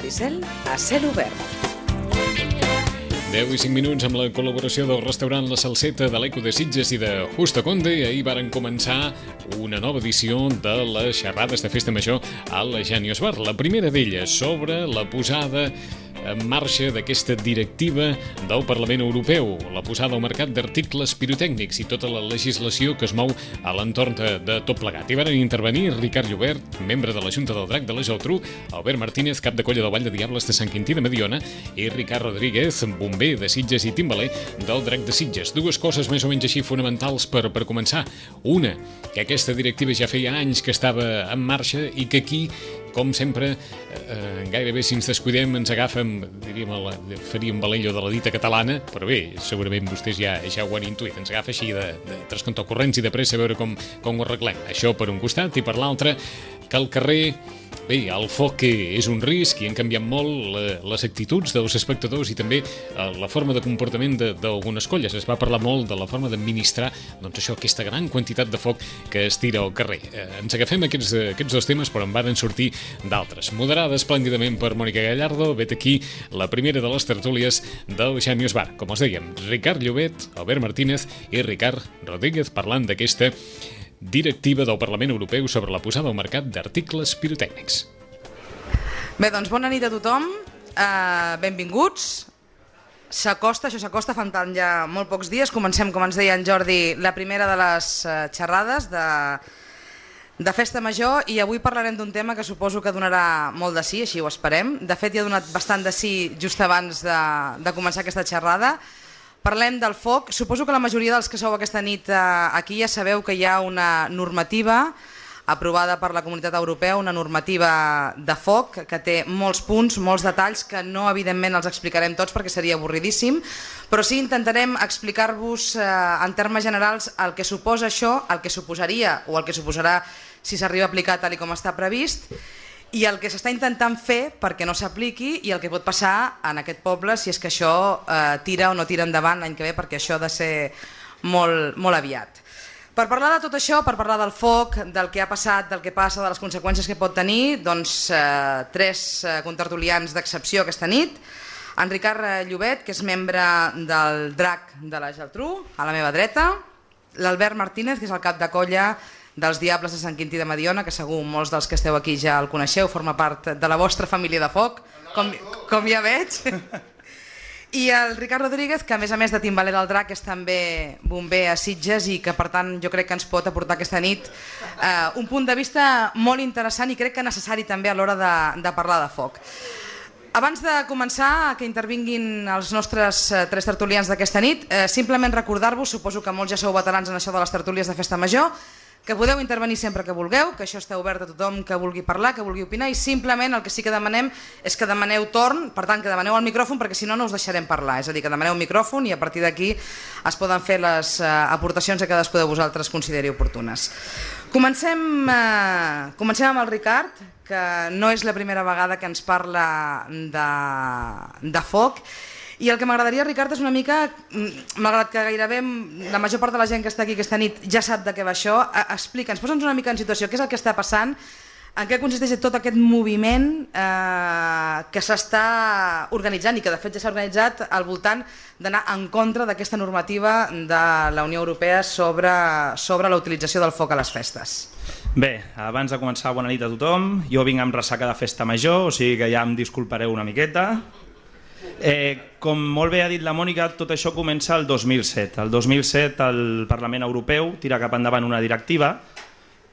Maricel a cel obert. 10 i 5 minuts amb la col·laboració del restaurant La Salseta de l'Eco de Sitges i de Justa Conde. Ahir varen començar una nova edició de les xerrades de Festa Major al Genius Bar. La primera d'elles sobre la posada en marxa d'aquesta directiva del Parlament Europeu, la posada al mercat d'articles pirotècnics i tota la legislació que es mou a l'entorn de tot plegat. Hi van intervenir Ricard Llobet, membre de la Junta del Drac de la Geltrú, Albert Martínez, cap de colla del Vall de Diables de Sant Quintí de Mediona, i Ricard Rodríguez, bomber de Sitges i timbaler del Drac de Sitges. Dues coses més o menys així fonamentals per començar. Una, que aquesta directiva ja feia anys que estava en marxa i que aquí, com sempre, gairebé si ens descuidem ens agafen, diríem, faríem valello de la dita catalana, però bé, segurament vostès ja ho han intuït, ens agafa així de trascompte corrents i de pressa a veure com ho arreglem. Això per un costat, i per l'altre, que al carrer, bé, el foc és un risc i han canviat molt les actituds dels espectadors i també la forma de comportament d'algunes colles. Es va parlar molt de la forma d'administrar, doncs això, aquesta gran quantitat de foc que es tira al carrer. Ens agafem aquests dos temes, però en van sortir d'altres. Moderada esplèndidament per Mònica Gallardo, vet aquí la primera de les tertúlies del Genius Bar. Com us dèiem, Ricard Llobet, Albert Martínez i Ricard Rodríguez parlant d'aquesta directiva del Parlament Europeu sobre la posada al mercat d'articles pirotècnics. Bé, doncs bona nit a tothom, benvinguts. Això s'acosta, faltant ja molt pocs dies. Comencem, com ens deia en Jordi, la primera de les xerrades de Festa Major, i avui parlarem d'un tema que suposo que donarà molt de sí, així ho esperem. De fet, ja ha donat bastant de sí just abans de començar aquesta xerrada. Parlem del foc. Suposo que la majoria dels que sou aquesta nit aquí ja sabeu que hi ha una normativa aprovada per la Comunitat Europea, una normativa de foc que té molts punts, molts detalls que no evidentment els explicarem tots perquè seria avorridíssim, però sí intentarem explicar-vos en termes generals el que suposa això, el que suposaria o el que suposarà si s'arriba a aplicar tal com està previst, i el que s'està intentant fer perquè no s'apliqui i el que pot passar en aquest poble si és que això tira o no tira endavant l'any que ve, perquè això ha de ser molt, molt aviat. Per parlar de tot això, per parlar del foc, del que ha passat, del que passa, de les conseqüències que pot tenir, doncs tres contertulians d'excepció aquesta nit. En Ricard Llobet, que és membre del Drac de la Geltrú, a la meva dreta. L'Albert Martínez, que és el cap de colla dels Diables de Sant Quintí de Mediona, que segur molts dels que esteu aquí ja el coneixeu, forma part de la vostra família de foc, com ja veig. I el Ricard Rodríguez, que a més de timbaler del Drac és també bomber a Sitges i que per tant jo crec que ens pot aportar aquesta nit un punt de vista molt interessant i crec que necessari també a l'hora de parlar de foc. Abans de començar que intervinguin els nostres tres tertulians d'aquesta nit, simplement recordar-vos, suposo que molts ja sou veterans en això de les tertúlies de Festa Major, que podeu intervenir sempre que vulgueu, que això està obert a tothom que vulgui parlar, que vulgui opinar, i simplement el que sí que demanem és que demaneu torn, per tant que demaneu el micròfon, perquè si no no us deixarem parlar, és a dir, que demaneu un micròfon i a partir d'aquí es poden fer les aportacions que cadascú de vosaltres consideri oportunes. Comencem amb el Ricard, que no és la primera vegada que ens parla de foc. I el que m'agradaria, Ricard, és una mica, malgrat que gairebé la major part de la gent que està aquí aquesta nit ja sap de què va això, explica'ns, posa'ns una mica en situació, què és el que està passant, en què consisteix tot aquest moviment que s'està organitzant i que de fet ja s'ha organitzat al voltant d'anar en contra d'aquesta normativa de la Unió Europea sobre la utilització del foc a les festes. Bé, abans de començar, bona nit a tothom. Jo vinc amb ressaca de Festa Major, o sigui que ja em disculpareu una miqueta. Com molt bé ha dit la Mònica, tot això comença el 2007. El 2007 el Parlament Europeu tira cap endavant una directiva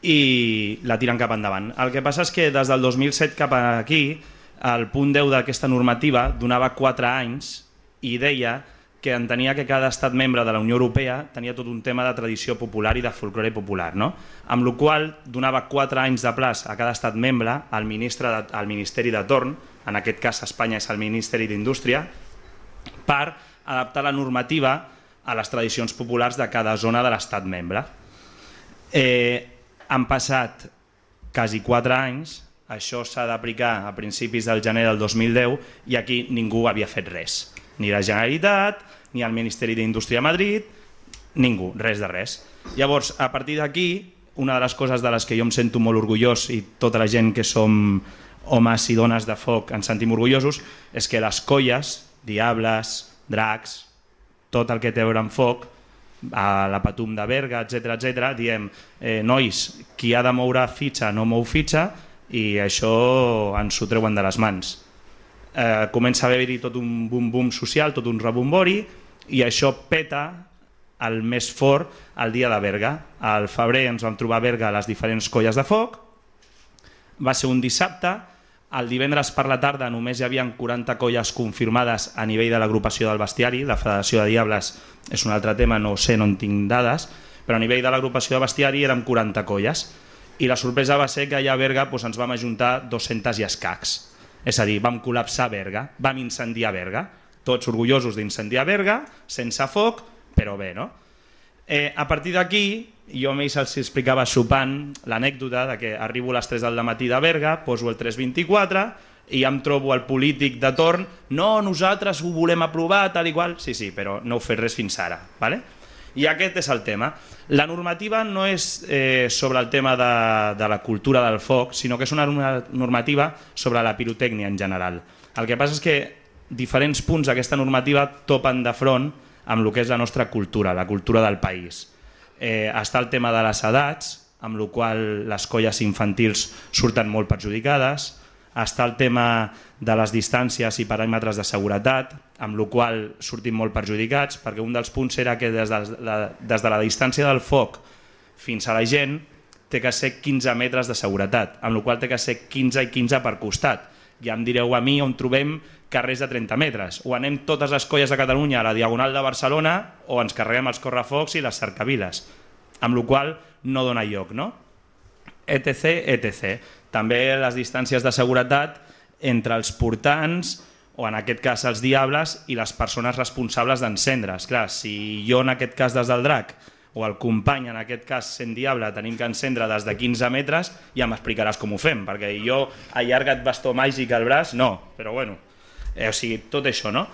i la tiren cap endavant. El que passa és que des del 2007 cap aquí, el punt 10 d'aquesta normativa donava 4 anys i deia que entenia que cada estat membre de la Unió Europea tenia tot un tema de tradició popular i de folklore popular, no? Amb la qual cosa donava 4 anys de plaç a cada estat membre, al Ministeri de torn, en aquest cas Espanya és el Ministeri d'Indústria, per adaptar la normativa a les tradicions populars de cada zona de l'estat membre. Han passat quasi 4 anys, això s'ha d'aplicar a principis del gener del 2010 i aquí ningú havia fet res. Ni la Generalitat, ni el Ministeri d'Indústria a Madrid, ningú, res de res. Llavors, a partir d'aquí, una de les coses de les que jo em sento molt orgullós i tota la gent que som homes i dones de foc ens sentim orgullosos, és que les colles, diables, dracs, tot el que té a veure amb foc, a la Patum de Berga, etc, diem, nois, qui ha de moure fitxa no mou fitxa, i això ens ho treuen de les mans. Comença a haver-hi tot un bum-bum social, tot un rebombori, i això peta el més fort el dia de Berga. Al febrer ens vam trobar a Berga a les diferents colles de foc, va ser un dissabte, el divendres per la tarda només hi havia 40 colles confirmades a nivell de l'agrupació del bestiari, la Federació de Diables és un altre tema, no ho sé, no en tinc dades, però a nivell de l'agrupació de bestiari érem 40 colles, i la sorpresa va ser que allà a Berga ens vam ajuntar 200 i escacs, és a dir, vam col·lapsar Berga, vam incendiar Berga, tots orgullosos d'incendiar Berga, sense foc, però bé, no? A partir d'aquí, jo a ells els explicava sopant l'anècdota de que arribo a les 3 del matí de Berga, poso el 324 i ja em trobo el polític de torn, no, nosaltres ho volem aprovar, tal i qual, sí, però no heu fet res fins ara, ¿vale? I aquest és el tema. La normativa no és sobre el tema de la cultura del foc, sinó que és una normativa sobre la pirotècnia en general. El que passa és que diferents punts d'aquesta normativa topen de front amb el que és la nostra cultura, la cultura del país. Està el tema de les edats, amb el qual les colles infantils surten molt perjudicades, està el tema de les distàncies i paràmetres de seguretat, amb el qual sortim molt perjudicats, perquè un dels punts era que des de la distància del foc fins a la gent té que ser 15 metres de seguretat, amb el qual té que ser 15 i 15 per costat. Ja em direu a mi on trobem carrers de 30 metres, o anem totes les colles de Catalunya a la Diagonal de Barcelona o ens carreguem els correfocs i les cercaviles, amb el qual no dona lloc, no? etc. També les distàncies de seguretat entre els portants, o en aquest cas els diables, i les persones responsables d'encendre's. Clar, si jo en aquest cas des del drac, o el company en aquest cas sent diable, tenim que encendre des de 15 metres, ja m'explicaràs com ho fem, perquè jo allargat bastó màgic al braç, no, però bueno, o sigui, tot això, no?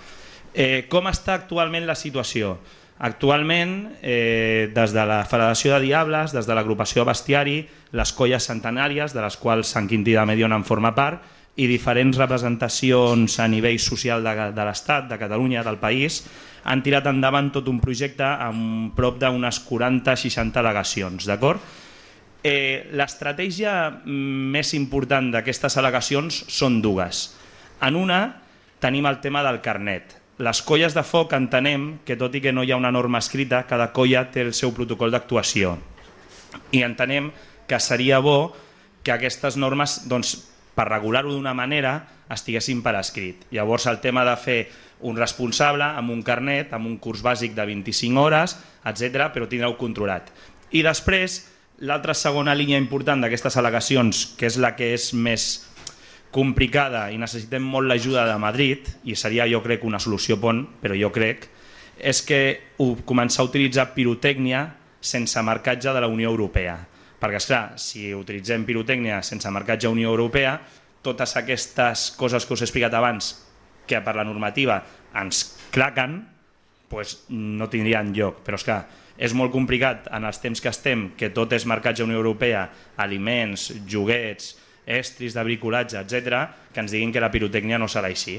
Com està actualment la situació? Actualment, des de la Federació de Diables, des de l'agrupació Bestiari, les colles centenàries, de les quals Sant Quintí de Mediona en forma part, i diferents representacions a nivell social de l'Estat, de Catalunya, del país, han tirat endavant tot un projecte amb prop d'unes 40-60 al·legacions, d'acord? L'estratègia més important d'aquestes al·legacions són dues. En una tenim el tema del carnet. Les colles de foc entenem que, tot i que no hi ha una norma escrita, cada colla té el seu protocol d'actuació. I entenem que seria bo que aquestes normes, doncs, per regular-ho d'una manera, estiguessin per escrit. Llavors el tema de fer un responsable amb un carnet, amb un curs bàsic de 25 hores, etc., però tindreu controlat. I després, l'altra segona línia important d'aquestes al·legacions, que és la que és més complicada i necessitem molt l'ajuda de Madrid, i seria, jo crec, una solució pont, però jo crec, és que començar a utilitzar pirotècnia sense marcatge de la Unió Europea. Perquè, esclar, si utilitzem pirotècnia sense marcatge Unió Europea, totes aquestes coses que us he explicat abans, que per la normativa ens claquen, doncs no tindrien lloc. Però, esclar, és molt complicat en els temps que estem, que tot és marcatge Unió Europea, aliments, joguets, estris de bricolatge, etc., que ens diguin que la pirotècnia no serà així.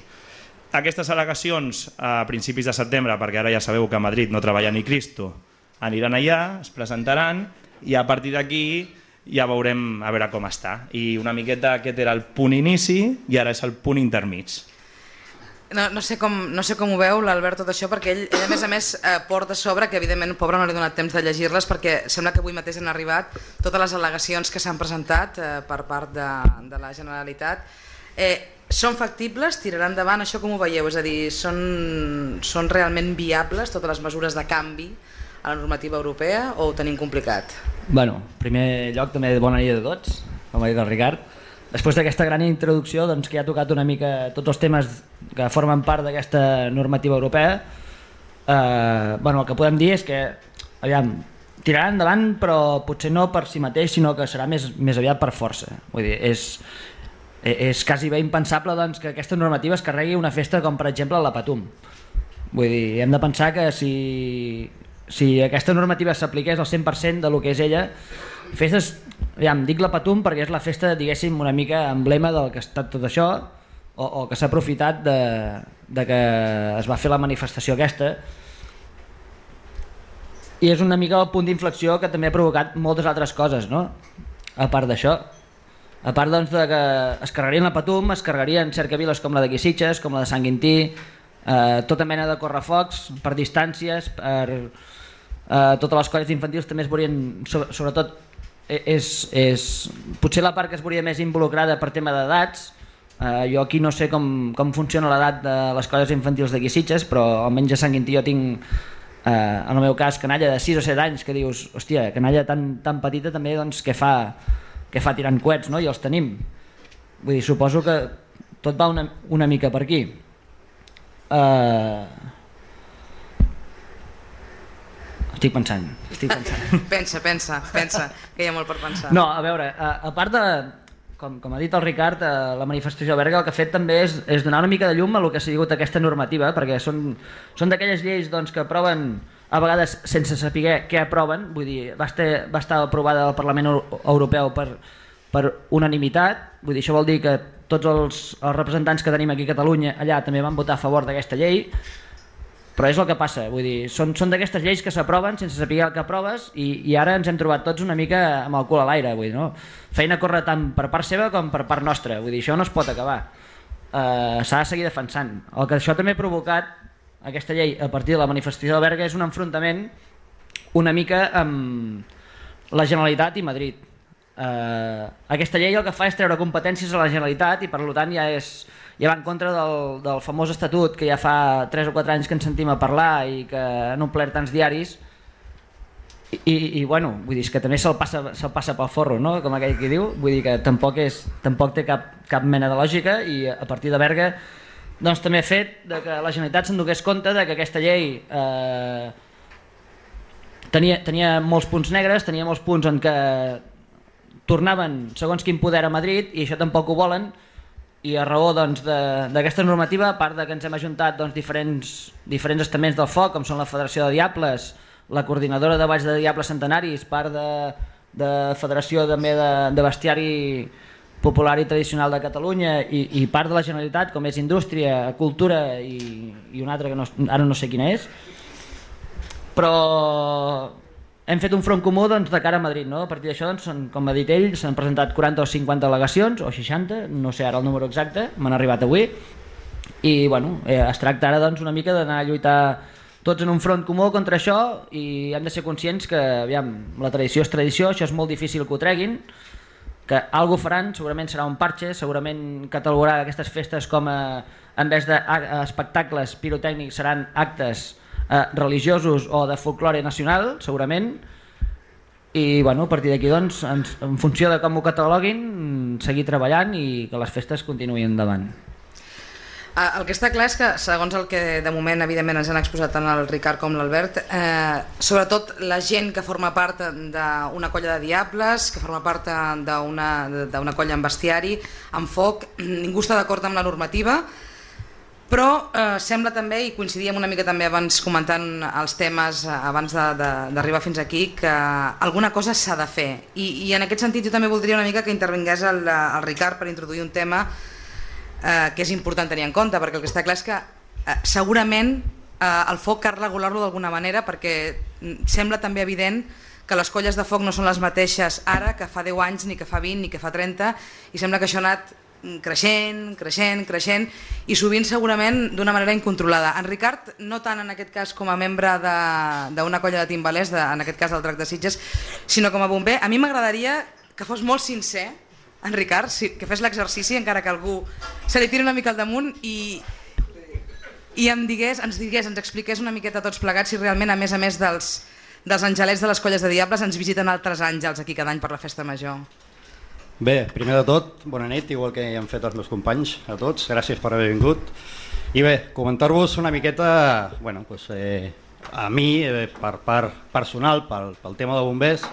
Aquestes al·legacions a principis de setembre, perquè ara ja sabeu que a Madrid no treballa ni Cristo, aniran allà, es presentaran, i a partir d'aquí ja veurem a veure com està. I una miqueta aquest era el punt inici i ara és el punt intermig. No sé com ho veu l'Albert tot això, perquè ell a més porta a sobre, que evidentment pobre no li ha donat temps de llegir-les, perquè sembla que avui mateix han arribat totes les al·legacions que s'han presentat per part de la Generalitat. Són factibles? Tiraran endavant? Això com ho veieu? És a dir, són realment viables totes les mesures de canvi a la normativa europea o ho tenim complicat? Bueno, en primer lloc també bona nit a tots, com ha dit el Ricard. Després d'aquesta gran introducció, doncs, que ja ha tocat una mica tots els temes que formen part d'aquesta normativa europea, el que podem dir és que tiraran endavant, però potser no per si mateix, sinó que serà més aviat per força. Vull dir, és quasi bé impensable, doncs, que aquesta normativa es carregui una festa com per exemple la Patum. Vull dir, hem de pensar que si aquesta normativa s'apliqués al 100% de lo que és ella, festes dic la Patum perquè és la festa, diguéssim, una mica emblema del que ha estat tot això, o que s'ha aprofitat de que es va fer la manifestació aquesta, i és una mica el punt d'inflexió que també ha provocat moltes altres coses, no? A part d'això, a part doncs, de que es carregarien la Patum, es carregarien cercaviles com la de Sitges, com la de Sant Quintí, tota mena de correfocs per distàncies, per totes les colles infantils també es veurien, sobretot potser la part que es veuria més involucrada per tema d'edats. Jo aquí no sé com funciona l'edat de les colles infantils d'aquí Sitges, però almenys a Sant Quintí jo tinc, en el meu cas, canalla de 6 o 7 anys, que dius, hòstia, canalla tan petita també, doncs, què fa tirant coets, no? I els tenim. Vull dir, suposo que tot va una mica per aquí. Estic pensant. Pensa, que hi ha molt per pensar. No, a veure, a part de, com ha dit el Ricard, la manifestació a Berga el que ha fet també és donar una mica de llum a lo que ha sigut aquesta normativa, perquè són d'aquelles lleis doncs, que aproven a vegades sense saber què aproven. Vull dir, va estar aprovada al Parlament Europeu per unanimitat. Vull dir, això vol dir que tots els representants que tenim aquí a Catalunya allà també van votar a favor d'aquesta llei, però és el que passa. Vull dir, són d'aquestes lleis que s'aproven sense saber el que aproves, i ara ens hem trobat tots una mica amb el cul a l'aire. Vull dir, no? Feina corre tant per part seva com per part nostra. Vull dir, això no es pot acabar. S'ha de seguir defensant. El que això també ha provocat, aquesta llei, a partir de la manifestació de Berga, és un enfrontament una mica amb la Generalitat i Madrid. Aquesta llei el que fa és treure competències a la Generalitat i per tant ja va en contra del famós estatut que ja fa 3 o 4 anys que ens sentim a parlar i que han omplert tants diaris, i bueno, vull dir, que també se'l passa pel forro, no? Com aquell que diu. Vull dir que tampoc té cap mena de lògica, i a partir de Berga doncs també ha fet que la Generalitat se'n donés compte que aquesta llei tenia molts punts negres, tenia molts punts en què tornaven segons quin poder a Madrid, i això tampoc ho volen. I a raó d'aquesta normativa, a part que ens hem ajuntat diferents estaments del foc, com són la Federació de Diables, la Coordinadora de Balls de Diables Centenaris, part de Federació també de Bestiari Popular i Tradicional de Catalunya, i part de la Generalitat, com és Indústria, Cultura i una altra que ara no sé quina és, però hem fet un front comú de cara a Madrid, no? A partir d'això, com ha dit ell, s'han presentat 40 o 50 delegacions, o 60, no sé ara el número exacte, m'han arribat avui, i bueno, es tracta ara una mica d'anar a lluitar tots en un front comú contra això, i hem de ser conscients que, aviam, la tradició és tradició, això és molt difícil que ho treguin, que alguna cosa faran, segurament serà un parche, segurament catalogarà aquestes festes com en vez d'espectacles pirotècnics seran actes religiosos o de folklore nacional, segurament, i bueno, a partir d'aquí, doncs, en funció de com ho cataloguin, seguir treballant i que les festes continuïn endavant. El que està clar és que, segons el que de moment evidentment ens han exposat tant el Ricard com l'Albert, sobretot la gent que forma part d'una colla de diables, que forma part d'una colla amb bestiari, amb foc, ningú està d'acord amb la normativa, però sembla també, i coincidíem una mica també abans comentant els temes abans d'arribar fins aquí, que alguna cosa s'ha de fer, i en aquest sentit jo també voldria una mica que intervingués el Ricard per introduir un tema que és important tenir en compte, perquè el que està clar és que segurament el foc cal regular-lo d'alguna manera, perquè sembla també evident que les colles de foc no són les mateixes ara que fa 10 anys, ni que fa 20, ni que fa 30, i sembla que això ha anat creixent, i sovint segurament d'una manera incontrolada. En Ricard, no tant en aquest cas com a membre d'una colla de timbalers, en aquest cas del Drac de Sitges, sinó com a bomber, a mi m'agradaria que fos molt sincer, en Ricard, que fes l'exercici, encara que algú se li tiri una mica al damunt, i ens expliqués una miqueta tots plegats si realment, a més dels angelets de les colles de diables, ens visiten altres àngels aquí cada any per la festa major. Bé, primer de tot, bona nit, igual que han fet els meus companys, a tots, gràcies per haver vingut. I bé, comentar-vos una miqueta, bueno, doncs, a mi, per part personal, pel tema de bombers,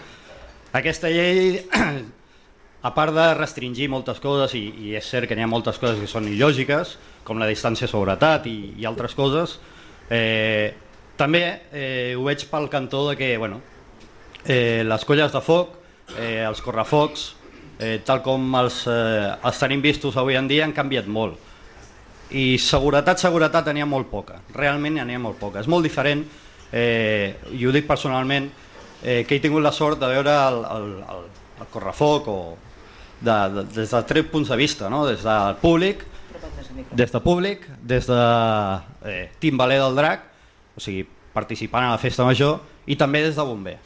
aquesta llei, a part de restringir moltes coses, i és cert que n'hi ha moltes coses que són il·lògiques, com la distància de seguretat i altres coses, també ho veig pel cantó de que les colles de foc els correfocs, tal com els tenim vistos avui en dia, han canviat molt. I seguretat n'hi ha molt poca, realment n'hi ha molt poca. És molt diferent, i ho dic personalment, que he tingut la sort de veure el correfoc des de 3 punts de vista, no? Des del públic, des de timbaler del drac, o sigui, participant a la festa major, i també des de bomber.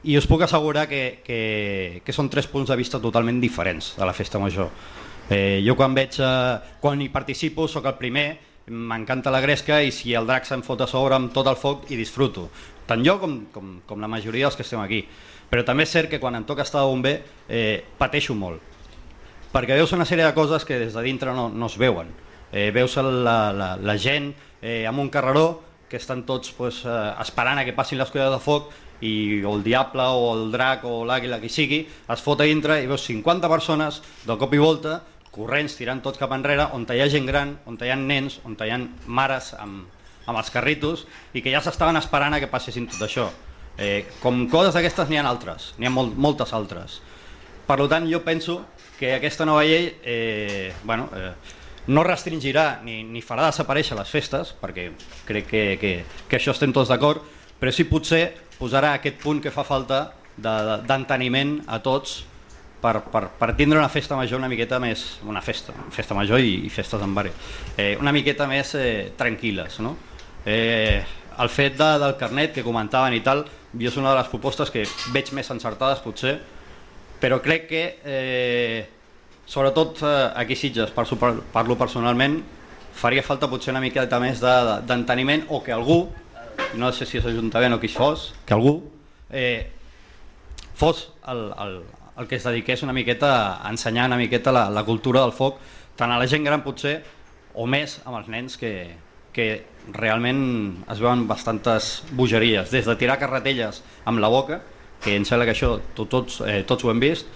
I us puc assegurar que són 3 punts de vista totalment diferents de la festa major. Jo quan hi participo soc el primer, m'encanta la gresca i si el drac se'm fot a sobre amb tot el foc hi disfruto, tant jo com la majoria dels que estem aquí. Però també és cert que quan em toca estar de bomber pateixo molt, perquè veus una sèrie de coses que des de dintre no es veuen. Veus la gent amb un carreró que estan tots esperant a que passin les colles de foc i el diable o el drac o l'àguila, qui sigui, es fot a dintre i veus 50 persones de cop i volta corrents, tirant tots cap enrere, on hi ha gent gran, on hi ha nens, on hi ha mares amb els carritos i que ja s'estaven esperant a que passessin tot això. Com coses d'aquestes n'hi ha altres, n'hi ha moltes altres. Per tant, jo penso que aquesta nova llei no restringirà ni farà desaparèixer les festes, perquè crec que això estem tots d'acord, però sí potser posarà aquest punt que fa falta d'enteniment a tots per tindre una festa major una miqueta més, una festa major i festes en barri, una miqueta més tranquil·les, no? El fet del carnet que comentaven i tal, jo és una de les propostes que veig més encertades potser, però crec que sobretot aquí a Sitges, parlo personalment, faria falta potser una miqueta més d'enteniment o que algú, no sé si és Ajuntament o qui fos, que algú fos el que es dediqués una miqueta a ensenyar una miqueta la cultura del foc, tant a la gent gran potser o més amb els nens que realment es veuen bastantes bogeries, des de tirar carretelles amb la boca, que em sembla que això tots ho hem vist,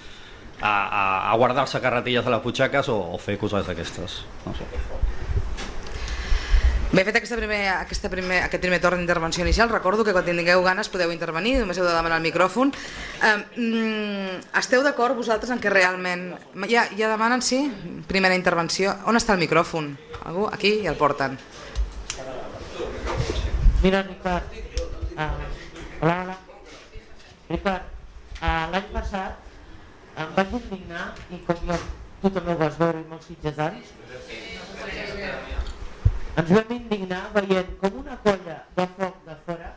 a guardar-se carretilles a les butxaques o fer coses d'aquestes. No sé. Bé, fet aquest primer torn d'intervenció inicial, recordo que quan tingueu ganes podeu intervenir, només heu de demanar el micròfon. Esteu d'acord vosaltres en que realment... Ja demanen, sí? Primera intervenció. On està el micròfon? Algú? Aquí i el porten. Mira, Ricard. Hola. Ricard, l'any passat em vaig indignar, i com tu també ho vas veure i molts sitgetans, ens vam indignar veient com una colla de foc de fora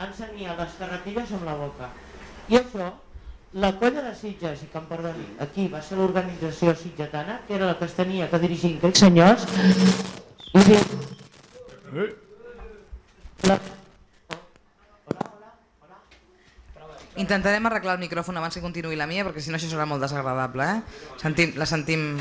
encenia les carretilles amb la boca. I això, la colla de Sitges, i que em perdoni, aquí va ser l'organització sitgetana, que era la que es tenia que dirigir aquests senyors, i dic... Intentarem arreglar el micròfon abans que continuï la mia, perquè si no això serà molt desagradable, La sentim...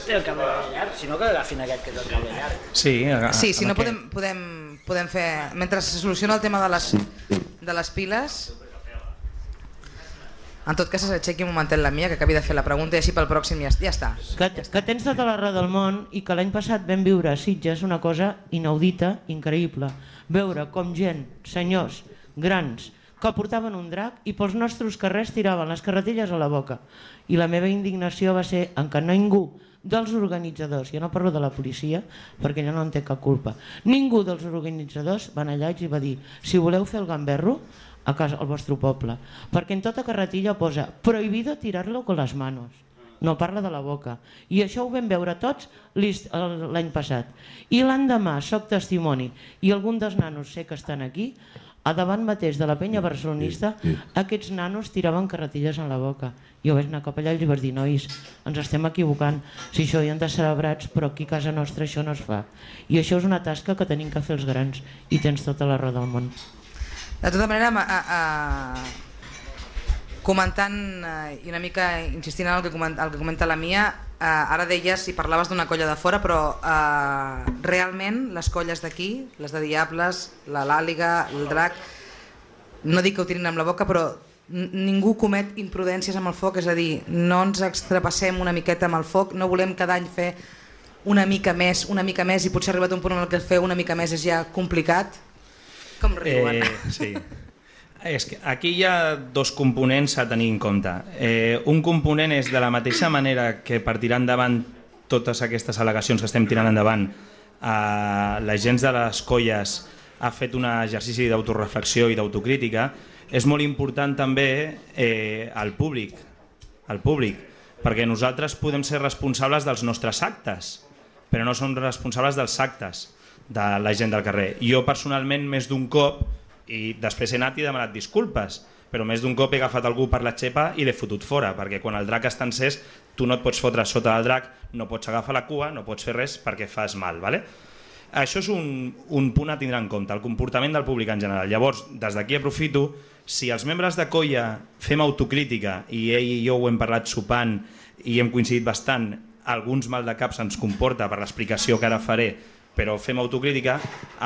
Té el cable llarg, si no que agafin aquest que té el cable llarg. Sí, si no podem fer... Mentre se soluciona el tema de les piles... En tot cas, s'aixequi un momentet la mia, que acabi de fer la pregunta i així pel pròxim ja està. Que tens tota la raó del món i que l'any passat vam viure a Sitges una cosa inaudita, increïble. Veure com gent, senyors, grans, que portaven un drac i pels nostres carrers tiraven les carretilles a la boca. I la meva indignació va ser en què ningú dels organitzadors, jo no parlo de la policia perquè ella no en té cap culpa, ningú dels organitzadors van allà i va dir si voleu fer el gamberro a casa al vostre poble, perquè en tota carretilla posa prohibido tirarlo con las manos, no parla de la boca, i això ho vam veure tots l'any passat. I l'endemà soc testimoni, i algun dels nanos sé que estan aquí, a davant mateix de la penya barcelonista, aquests nanos tiraven carretilles en la boca. Jo vaig anar cap allà i li vaig dir, nois, ens estem equivocant, si això hi han de celebrats, però aquí a casa nostra això no es fa. I això és una tasca que tenim que fer els grans, i tens tota la raó del món. De tota manera, comentant i una mica insistint en el que comenta la Mia, ara deies i parlaves d'una colla de fora, però realment les colles d'aquí, les de Diables, l'Àliga, el Drac, no dic que ho tirin amb la boca, però ningú comet imprudències amb el foc, és a dir, no ens extrapassem una miqueta amb el foc, no volem cada any fer una mica més i potser ha arribat un punt en el que fer una mica més és ja complicat. Com riuen. Sí. És que aquí hi ha dos components a tenir en compte. Un component és de la mateixa manera que per tirar endavant totes aquestes al·legacions que estem tirant endavant, la gent de les colles ha fet un exercici d'autoreflexió i d'autocrítica. És molt important també el públic, perquè nosaltres podem ser responsables dels nostres actes, però no som responsables dels actes de la gent del carrer. Jo personalment més d'un cop, i després he anat i demanat disculpes, però més d'un cop he agafat algú per la xepa i l'he fotut fora, perquè quan el drac està encès tu no et pots fotre sota del drac, no pots agafar la cua, no pots fer res perquè fas mal, ¿vale? Això és un punt a tindre en compte, el comportament del públic en general. Llavors, des d'aquí aprofito, si els membres de colla fem autocrítica, i ell i jo ho hem parlat sopant i hem coincidit bastant, alguns mal de cap se'ns comporta per l'explicació que ara faré, però fem autocrítica,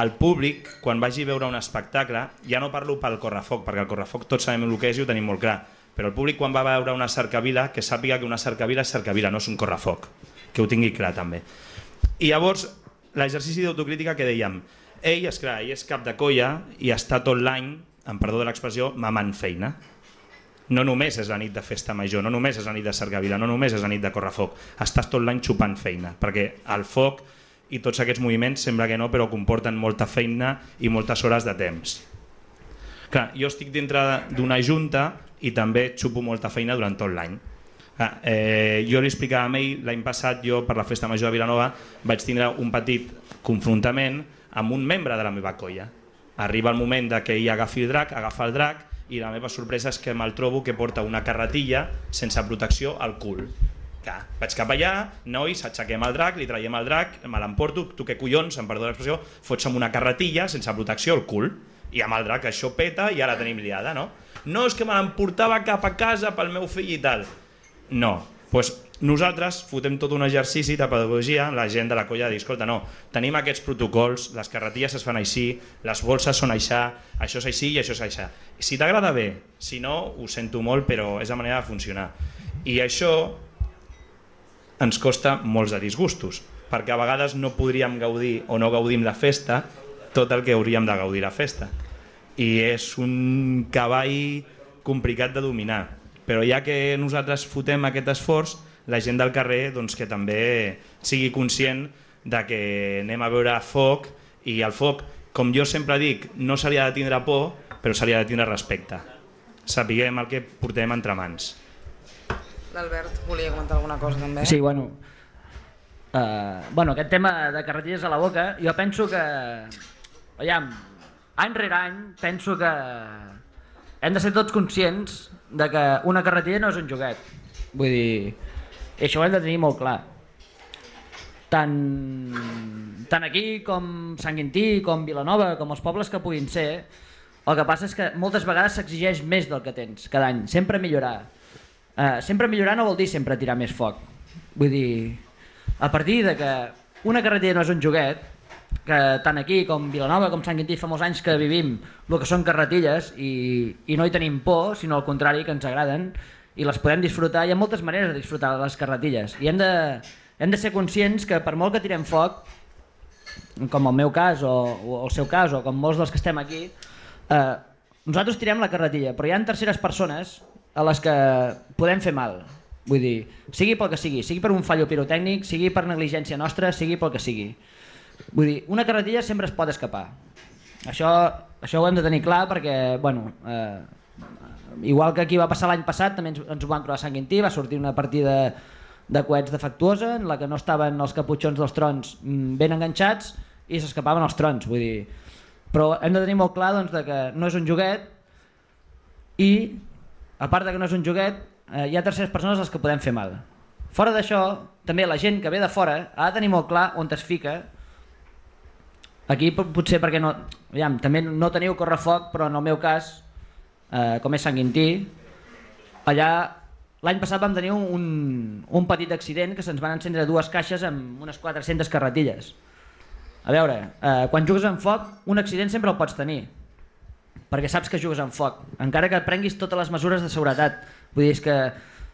el públic, quan vagi a veure un espectacle, ja no parlo pel correfoc, perquè el correfoc tots sabem el que és i ho tenim molt clar, però el públic quan va a veure una cercavila, que sàpiga que una cercavila és cercavila, no és un correfoc, que ho tingui clar també. I llavors, l'exercici d'autocrítica que dèiem, ell és cap de colla i està tot l'any, amb perdó de l'expressió, mamant feina. No només és la nit de festa major, no només és la nit de cercavila, no només és la nit de correfoc, estàs tot l'any xupant feina, perquè el foc i tots aquests moviments sembla que no, però comporten molta feina i moltes hores de temps. Clar, jo estic dintre d'una junta i també xupo molta feina durant tot l'any. Jo li explicava a ell, l'any passat jo per la festa major de Vilanova vaig tindre un petit confrontament amb un membre de la meva colla. Arriba el moment que ell agafa el drac i la meva sorpresa és que me'l trobo que porta una carretilla sense protecció al cul. Vaig cap allà, nois, aixequem el drac, li traiem el drac, me l'emporto, tu què collons, em perdó l'expressió, fots amb una carretilla sense protecció al cul, i amb el drac això peta i ara tenim liada, no? No, és que me l'emportava cap a casa pel meu fill i tal. No, doncs nosaltres fotem tot un exercici de pedagogia, la gent de la colla de dir, escolta, no, tenim aquests protocols, les carretilles es fan així, les bolses són això és així i això és això. Si t'agrada bé, si no, ho sento molt, però és la manera de funcionar. I això ens costa molts de disgustos, perquè a vegades no podríem gaudir o no gaudim la festa tot el que hauríem de gaudir la festa. I és un cavall complicat de dominar, però ja que nosaltres fotem aquest esforç, la gent del carrer doncs, que també sigui conscient de que anem a veure foc, i el foc, com jo sempre dic, no se li ha de tindre por, però se li ha de tindre respecte. Sapiguem el que portem entre mans. L'Albert volia comentar alguna cosa també. Sí, bueno, aquest tema de carretilles a la boca, jo penso que, any rere any, penso que hem de ser tots conscients de que una carretilla no és un joguet. Vull dir, i això ho hem de tenir molt clar. Tant aquí com Sant Quintí, com Vilanova, com els pobles que puguin ser, el que passa és que moltes vegades s'exigeix més del que tens cada any, sempre millorar. Sempre millorar no vol dir sempre tirar més foc. Vull dir, a partir de que una carretilla no és un joguet, que tant aquí com Vilanova com Sant Quintí fa molts anys que vivim el que són carretilles i no hi tenim por, sinó al contrari, que ens agraden i les podem disfrutar. Hi ha moltes maneres de disfrutar les carretilles i hem de ser conscients que per molt que tirem foc, com el meu cas o el seu cas o com molts dels que estem aquí, nosaltres tirem la carretilla, però hi ha terceres persones a les que podem fer mal. Vull dir, sigui pel que sigui per un fallo pirotècnic, sigui per negligència nostra, sigui pel que sigui. Vull dir, una carretilla sempre es pot escapar. Això ho hem de tenir clar perquè, igual que aquí va passar l'any passat, també ens ho van trobar a Sant Quintí, va sortir una partida de coets defectuosa en la que no estaven els caputxons dels trons ben enganxats i s'escapaven els trons. Vull dir, però hem de tenir molt clar doncs, que no és un joguet i, a part de que no és un joguet, hi ha terceres persones a les que podem fer mal. Fora d'això, també la gent que ve de fora ha de tenir molt clar on es fica. Aquí potser perquè no, també no teniu correfoc, però en el meu cas, com és Sant Quintí, allà l'any passat vam tenir un petit accident que se'ns van encendre 2 caixes amb unes 400 carretilles. A veure, quan jugues amb foc, un accident sempre el pots tenir, perquè saps que jugues amb foc, encara que prenguis totes les mesures de seguretat. Vull dir, és que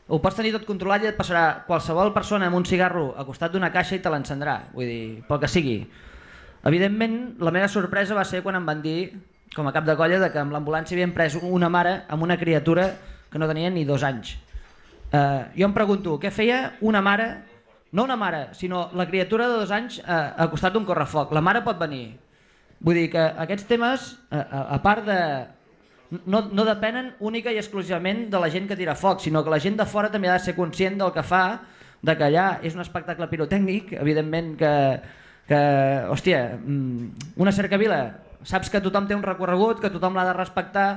ho pots tenir tot controlat i et passarà qualsevol persona amb un cigarro al costat d'una caixa i te l'encendrà, vull dir, pel que sigui. Evidentment, la meva sorpresa va ser quan em van dir com a cap de colla, que amb l'ambulància havien pres una mare amb una criatura que no tenia ni 2 anys. Jo em pregunto, què feia una mare, no una mare, sinó la criatura de 2 anys al costat d'un correfoc? La mare pot venir. Vull dir que aquests temes, a part de... No depenen única i exclusivament de la gent que tira foc, sinó que la gent de fora també ha de ser conscient del que fa, de que allà és un espectacle pirotècnic, evidentment que hòstia, una cercavila, saps que tothom té un recorregut, que tothom l'ha de respectar,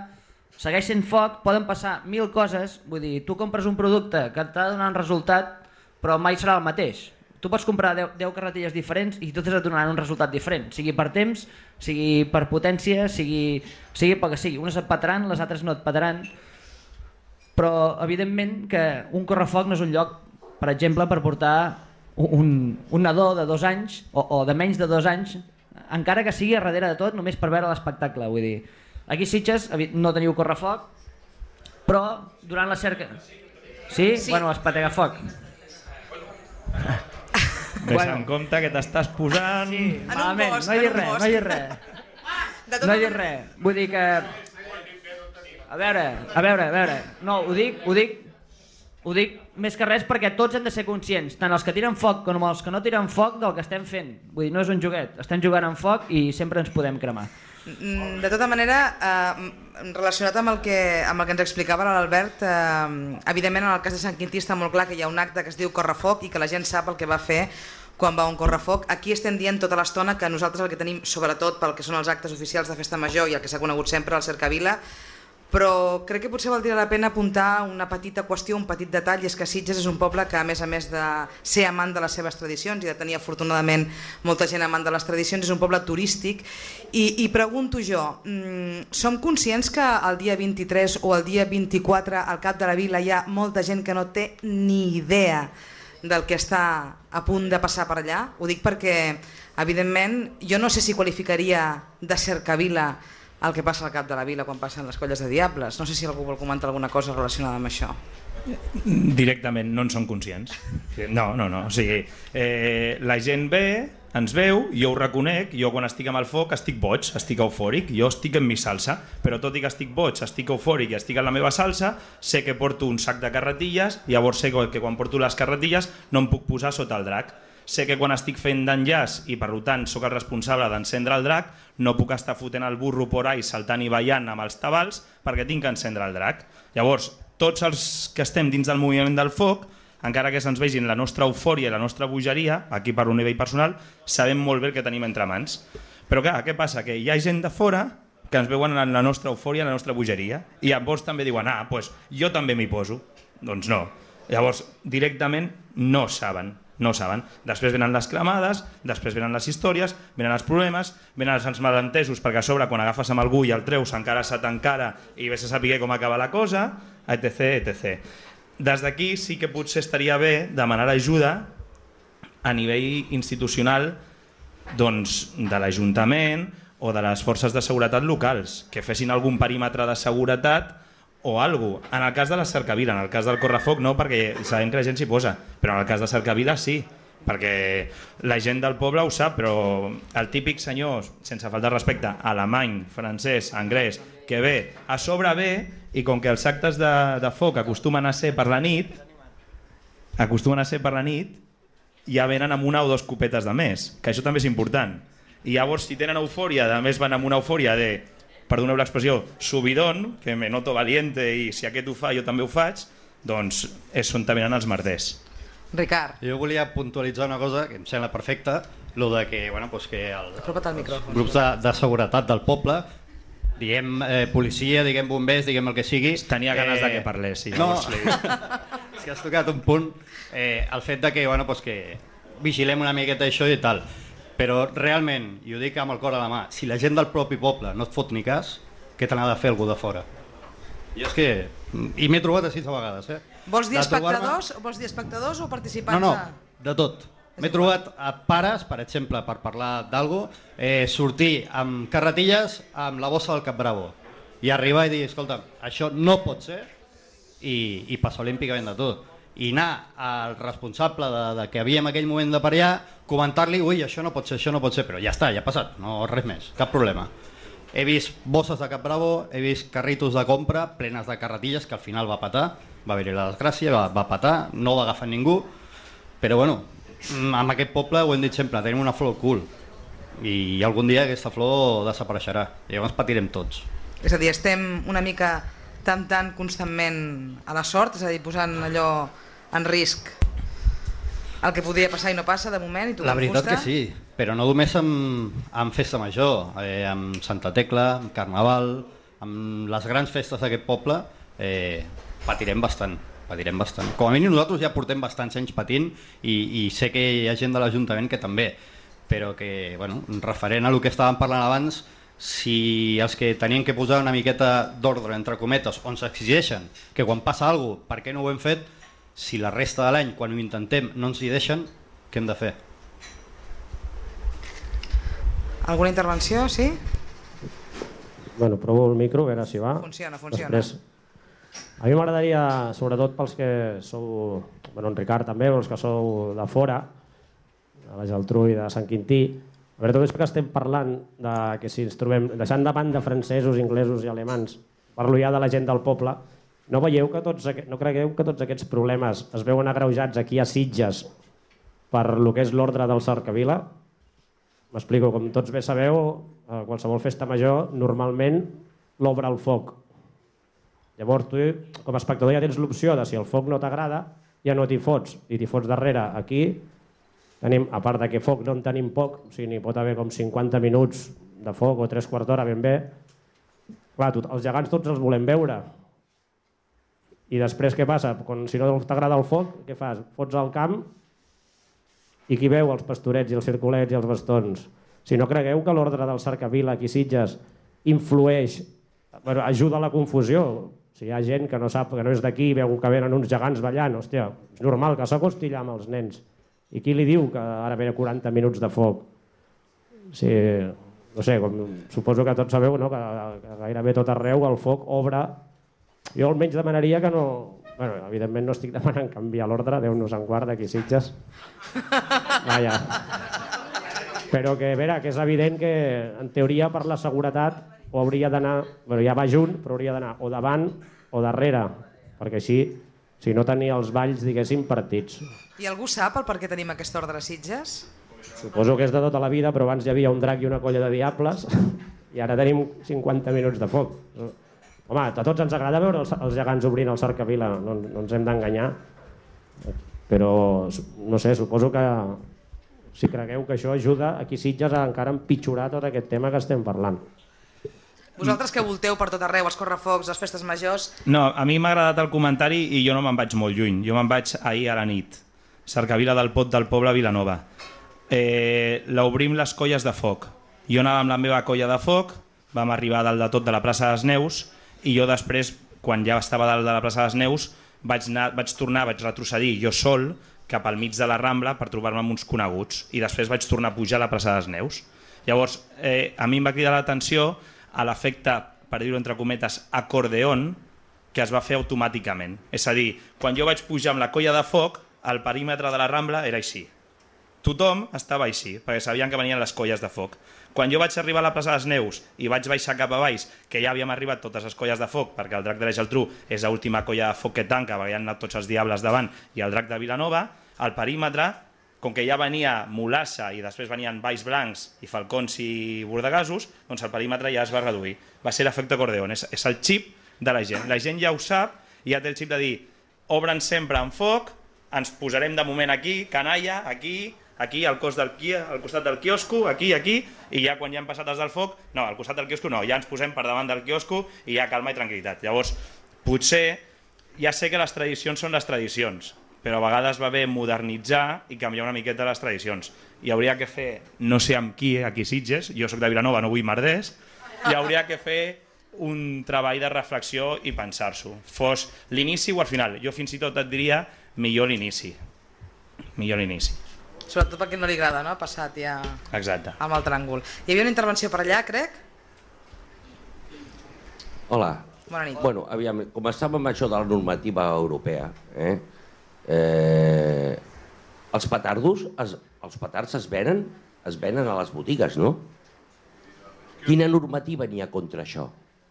segueix sent foc, poden passar 1000 coses, vull dir, tu compres un producte que t'ha de donar un resultat, però mai serà el mateix. Tu pots comprar 10 carretilles diferents i totes et donaran un resultat diferent, sigui per temps, sigui per potència, sigui pel que sigui. Unes et petaran, les altres no et petaran, però evidentment que un correfoc no és un lloc, per exemple, per portar un nadó de 2 anys o de menys de 2 anys, encara que sigui a darrere de tot, només per veure l'espectacle. Vull dir, aquí a Sitges no teniu correfoc, però durant la cerca... Sí? Bueno, espatega foc. Deixa en compte que t'estàs posant... Sí, malament, no hi ha res. No hi ha res. Vull dir que... A veure... No, ho dic més que res perquè tots hem de ser conscients, tant els que tiren foc com els que no tiren foc, del que estem fent. Vull dir, no és un joguet, estem jugant amb foc i sempre ens podem cremar. De tota manera, relacionat amb el que ens explicava l'Albert, evidentment en el cas de Sant Quintí està molt clar que hi ha un acte que es diu correfoc i que la gent sap el que va fer quan va a un correfoc. Aquí estem dient tota l'estona que nosaltres el que tenim, sobretot pel que són els actes oficials de Festa Major i el que s'ha conegut sempre al Cercavila, però crec que potser valdria la pena apuntar una petita qüestió, un petit detall, i és que Sitges és un poble que a més de ser amant de les seves tradicions i de tenir afortunadament molta gent amant de les tradicions, és un poble turístic i pregunto jo, som conscients que el dia 23 o el dia 24 al cap de la vila hi ha molta gent que no té ni idea del que està a punt de passar per allà? Ho dic perquè evidentment jo no sé si qualificaria de Cercavila el que passa al cap de la vila quan passen les colles de diables. No sé si algú vol comentar alguna cosa relacionada amb això. Directament no en som conscients. No. O sigui, la gent ve, ens veu, jo ho reconec, jo quan estic amb el foc estic boig, estic eufòric, jo estic en mi salsa, però tot i que estic boig, estic eufòric i estic en la meva salsa, sé que porto un sac de carretilles, llavors sé que quan porto les carretilles no em puc posar sota el drac. Sé que quan estic fent d'enllaç i per tant sóc el responsable d'encendre el drac, no puc estar fotent el burro por ahí saltant i ballant amb els tabals perquè tinc que encendre el drac. Llavors, tots els que estem dins del moviment del foc, encara que se'ns vegin la nostra eufòria i la nostra bogeria, aquí per un nivell personal, sabem molt bé el que tenim entre mans. Però clar, què passa? Que hi ha gent de fora que ens veuen en la nostra eufòria, en la nostra bogeria, i llavors també diuen, doncs jo també m'hi poso. Doncs no. Llavors, directament no saben. Després venen les cremades, després venen les històries, venen els problemes, venen els malentesos, perquè a sobre quan agafes amb algú i el treus encara se t'encara i vés a saber com acaba la cosa, etc. Des d'aquí sí que potser estaria bé demanar ajuda a nivell institucional de l'Ajuntament o de les forces de seguretat locals, que fessin algun perímetre de seguretat o alguna cosa. En el cas de la Cercavila, en el cas del correfoc no, perquè sabem que la gent s'hi posa, però en el cas de Cercavila sí, perquè la gent del poble ho sap, però el típic senyor, sense faltar respecte, alemany, francès, anglès, que ve, a sobre ve, i com que els actes de foc acostumen a ser per la nit, ja venen amb 1 o 2 copetes de més, que això també és important. I llavors, si tenen eufòria, a més van amb una eufòria de, perdoneu l'expressió, subidón, que me noto valiente i si aquest ho fa jo també ho faig, doncs és on venen els merders. Ricard. Jo volia puntualitzar una cosa que em sembla perfecta, lo de que, que els grups de seguretat del poble, diguem policia, diguem bombers, diguem el que sigui... Tenia ganes de que parlés, sí. No, és que has tocat un punt, el fet de que, que vigilem una miqueta això i tal. Però realment, i ho dic amb el cor a la mà, si la gent del propi poble no et fot ni cas, què te n'ha de fer algú de fora? Jo és que... I m'he trobat així a vegades, Vols dir espectadors o participants? No, de tot. M'he trobat a pares, per exemple, per parlar d'algo, sortir amb carretilles amb la bossa del Capbravo i arribar i dir, escolta, això no pot ser, i passar olímpicament de tot. I anar al responsable de que havia en aquell moment de per allà, comentar-li, ui, això no pot ser, però ja està, ja ha passat, no res més, cap problema. He vist bosses de Cap Bravo, he vist carritos de compra plenes de carretilles, que al final va petar, va haver-hi la desgràcia, va petar, no va agafar ningú, però bueno, amb aquest poble ho hem dit sempre, tenim una flor cool i algun dia aquesta flor desapareixerà i llavors patirem tots. És a dir, estem una mica temptant constantment a la sort, és a dir, posant allò en risc el que podia passar i no passa de moment, i tu La veritat que sí, però no només amb festa major, amb Santa Tecla, amb Carnaval, amb les grans festes d'aquest poble, patirem bastant. Com a mínim nosaltres ja portem bastants anys patint i sé que hi ha gent de l'Ajuntament que també, però que, bueno, referent a el que estàvem parlant abans, si els que tenien que posar una miqueta d'ordre, entre cometes, on s'exigeixen que quan passa alguna cosa, per què no ho hem fet, si la resta de l'any, quan ho intentem, no ens hi deixen, què hem de fer? Alguna intervenció, sí? Bueno, provo el micro, a veure si va. Funciona. Després, a mi m'agradaria, sobretot pels que sou, bueno, en Ricard també, els que sou de fora, de la Geltrú i de Sant Quintí, a veure, tot això que estem parlant de que si ens trobem, deixant de banda francesos, inglesos i alemans, parlo ja de la gent del poble, no creieu que tots aquests problemes es veuen agreujats aquí a Sitges per lo que és l'ordre del Cercavila? M'explico, com tots bé sabeu, a qualsevol festa major normalment l'obre el foc. Llavors tu, com a espectador, ja tens l'opció de si el foc no t'agrada, ja no t'hi fots, i t'hi fots darrere. Aquí tenim, a part de que foc no en tenim poc, o sigui, n'hi pot haver com 50 minuts de foc o 3/4 d'hora ben bé. Clar, els gegants tots els volem veure. I després què passa? Si no t'agrada el foc, què fas? Fots al camp i qui veu els pastorets i els circulets i els bastons? Si no cregueu que l'ordre del Cercavila aquí a Sitges influeix, ajuda a la confusió. Si hi ha gent que no sap, que no és d'aquí i veu que venen uns gegants ballant, hòstia, és normal que s'acosti allà amb els nens. I qui li diu que ara ve 40 minuts de foc? Sí, no sé, suposo que tots sabeu, no? Que gairebé tot arreu el foc obre. Jo almenys demanaria que no... Bueno, evidentment no estic demanant canviar l'ordre, Déu-nos en guarda aquí a Sitges. Vaja. Però que, a veure, que és evident que en teoria per la seguretat o hauria d'anar, bueno, ja va junt, però hauria d'anar o davant o darrere, perquè així, si no tenia els balls, diguéssim, partits. I algú sap el per què tenim aquest ordre a Sitges? Suposo que és de tota la vida, però abans hi havia un drac i una colla de diables i ara tenim 50 minuts de foc. Home, a tots ens agrada veure els gegants obrint el Cercavila, no ens hem d'enganyar, però no sé, suposo que si cregueu que això ajuda aquí a Sitges a encara empitjorar tot aquest tema que estem parlant. Vosaltres que volteu per tot arreu, els correfocs, les festes majors... No, a mi m'ha agradat el comentari i jo no me'n vaig molt lluny, jo me'n vaig ahir a la nit. Cercavila del Pot del Poble, Vilanova. L'obrim les colles de foc. Jo anava amb la meva colla de foc, vam arribar dalt de tot de la plaça de les Neus i jo després, quan ja estava dalt de la plaça de les Neus, vaig retrocedir jo sol cap al mig de la Rambla per trobar-me amb uns coneguts i després vaig tornar a pujar a la plaça de les Neus. Llavors, a mi em va cridar l'atenció a l'efecte, per dir-ho entre cometes, acordeón, que es va fer automàticament. És a dir, quan jo vaig pujar amb la colla de foc, el perímetre de la Rambla era així. Tothom estava així, perquè sabien que venien les colles de foc. Quan jo vaig arribar a la plaça de les Neus i vaig baixar cap a baix, que ja havíem arribat totes les colles de foc, perquè el drac de la Geltrú és l'última colla de foc que tanca, perquè hi han anat tots els diables davant, i el drac de Vilanova, el perímetre, com que ja venia Mulassa i després venien Valls Blancs i Falcons i Bordegasos, doncs el perímetre ja es va reduir. Va ser l'efecte acordeón, és el xip de la gent. La gent ja ho sap i ja té el xip de dir obren sempre en foc, ens posarem de moment aquí, canalla, aquí al costat del quiosco, aquí, i ja quan ja han passat els del foc, no, al costat del quiosco no, ja ens posem per davant del quiosco i ja calma i tranquil·litat. Llavors, potser, ja sé que les tradicions són les tradicions, però a vegades va bé modernitzar i canviar una miqueta les tradicions. Hi hauria que fer, no sé amb qui, aquí a Sitges, jo soc de Vilanova, no vull merders, hi hauria que fer un treball de reflexió i pensar-s'ho. Fos l'inici o al final. Jo fins i tot et diria millor l'inici. Millor l'inici. Sobretot perquè no li agrada, no? Ha passat ja amb el tràngol. Hi havia una intervenció per allà, crec? Hola. Bona nit. Bueno, aviam, com estàvem amb això de la normativa europea, els petards es venen a les botigues, no? Quina normativa n'hi ha contra això?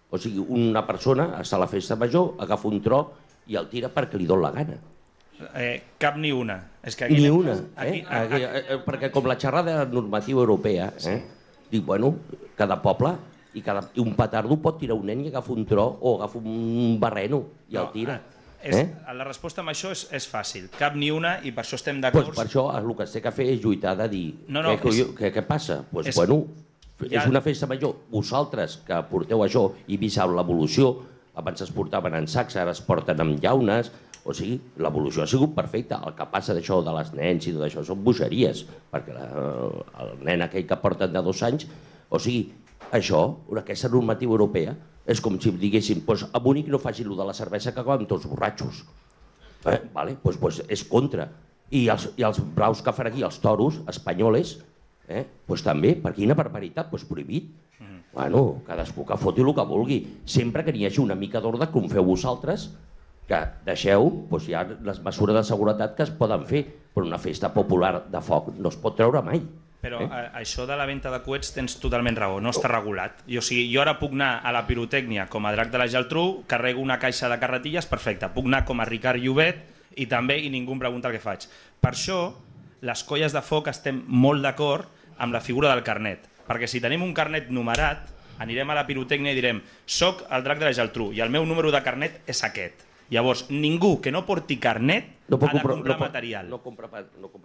O sigui, una persona està a la festa major, agafa un tro i el tira perquè li dona la gana. Cap ni una. Ni una, perquè com la xerrada normativa europea, dic, bueno, cada poble i un petardo pot tirar un nen i agafa un tro o agafa un barreno i el tira. La resposta amb això és fàcil, cap ni una, i per això estem d'acord. Per això el que es té que fer és lluitar de dir què passa? Doncs bueno, és una festa major, vosaltres que porteu això i vist l'evolució, abans es portaven en sacs, ara es porten amb llaunes, o sigui, l'evolució ha sigut perfecta. El que passa d'això de les nens i tot això són bogeries, perquè el nen aquell que porten de 2 anys, o sigui, això, aquesta normativa europea, és com si diguéssim, a Múnich no facin allò de la cervesa que acaben tots borratxos. Doncs és contra. I els braus que fan aquí, els toros espanyoles, també, per quina barbaritat, prohibit. Bueno, cadascú que foti el que vulgui, sempre que n'hi hagi una mica d'ordre com feu vosaltres, que deixeu, hi ha les mesures de seguretat que es poden fer, però una festa popular de foc no es pot treure mai. Però això de la venda de coets tens totalment raó, no està regulat. Jo ara puc anar a la pirotècnia com a Drac de la Geltrú, carrego una caixa de carretilles, perfecte. Puc anar com a Ricard Llobet i ningú em pregunta el que faig. Per això, les colles de foc estem molt d'acord amb la figura del carnet. Perquè si tenim un carnet numerat, anirem a la pirotècnia i direm soc el Drac de la Geltrú i el meu número de carnet és aquest. Llavors, ningú que no porti carnet ha de comprar material.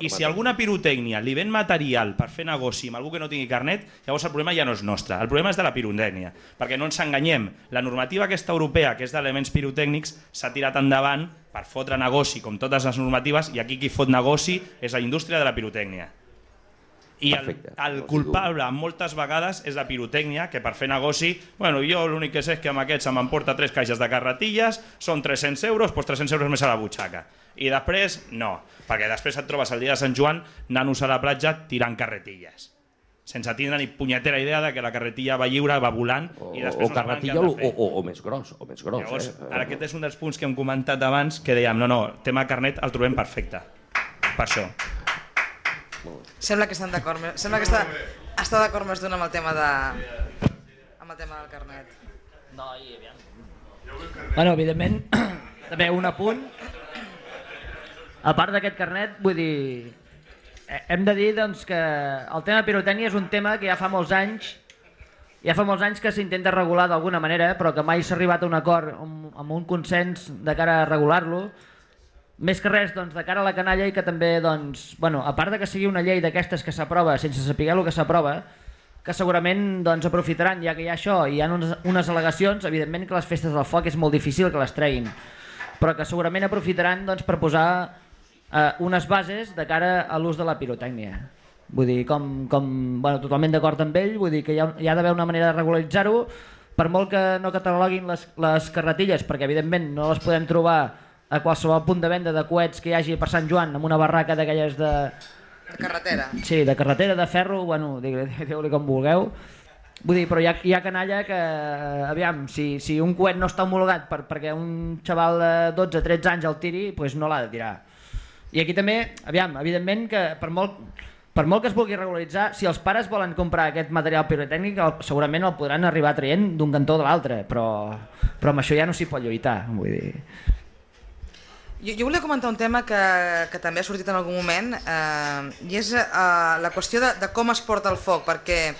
I si alguna pirotècnia li ven material per fer negoci amb algú que no tingui carnet, llavors el problema ja no és nostre, el problema és de la pirotècnia. Perquè no ens enganyem, la normativa aquesta europea, que és d'elements pirotècnics, s'ha tirat endavant per fotre negoci, com totes les normatives, i aquí qui fot negoci és la indústria de la pirotècnia. I el culpable moltes vegades és la pirotècnia, que per fer negoci, jo l'únic que sé és que amb aquest se m'emporta 3 caixes de carretilles, són 300 euros, doncs 300 euros més a la butxaca. I després, no, perquè després et trobes el dia de Sant Joan nanos a la platja tirant carretilles, sense tindre ni punyetera idea de que la carretilla va lliure, va volant, i després no saben què han de fer. O més gros. Llavors, aquest és un dels punts que hem comentat abans, que dèiem, no, tema carnet el trobem perfecte, per això. Sembla que estan d'acord, sembla que està d'acord més d'un amb el tema del carnet. No, i aviam. Bueno, evidentment, també un apunt. A part d'aquest carnet, vull dir, hem de dir doncs, que el tema pirotècnia és un tema que ja fa molts anys que s'intenta regular d'alguna manera, però que mai s'ha arribat a un acord amb un consens de cara a regular-lo. Més que res, doncs, de cara a la canalla i que també, doncs, a part de que sigui una llei d'aquestes que s'aprova sense saber el que s'aprova, que segurament aprofitaran, ja que hi ha això i hi ha unes al·legacions, evidentment que les festes del foc és molt difícil que les treguin, però que segurament aprofitaran per posar unes bases de cara a l'ús de la pirotècnia. Vull dir, totalment d'acord amb ell, vull dir que hi ha d'haver una manera de regularitzar-ho, per molt que no cataloguin les carretilles, perquè evidentment no les podem trobar a qualsevol punt de venda de coets que hi hagi per Sant Joan, amb una barraca d'aquelles de... De carretera. Sí, de carretera, de ferro, digue-li com vulgueu. Vull dir, però hi ha canalla que, aviam, si un coet no està homologat perquè un xaval de 12-13 anys el tiri, doncs no l'ha de tirar. I aquí també, aviam, evidentment que per molt que es vulgui regularitzar, si els pares volen comprar aquest material pirotècnic, segurament el podran arribar traient d'un cantó o de l'altre, però amb això ja no s'hi pot lluitar, vull dir... Jo volia comentar un tema que també ha sortit en algun moment, i és la qüestió de com es porta el foc, perquè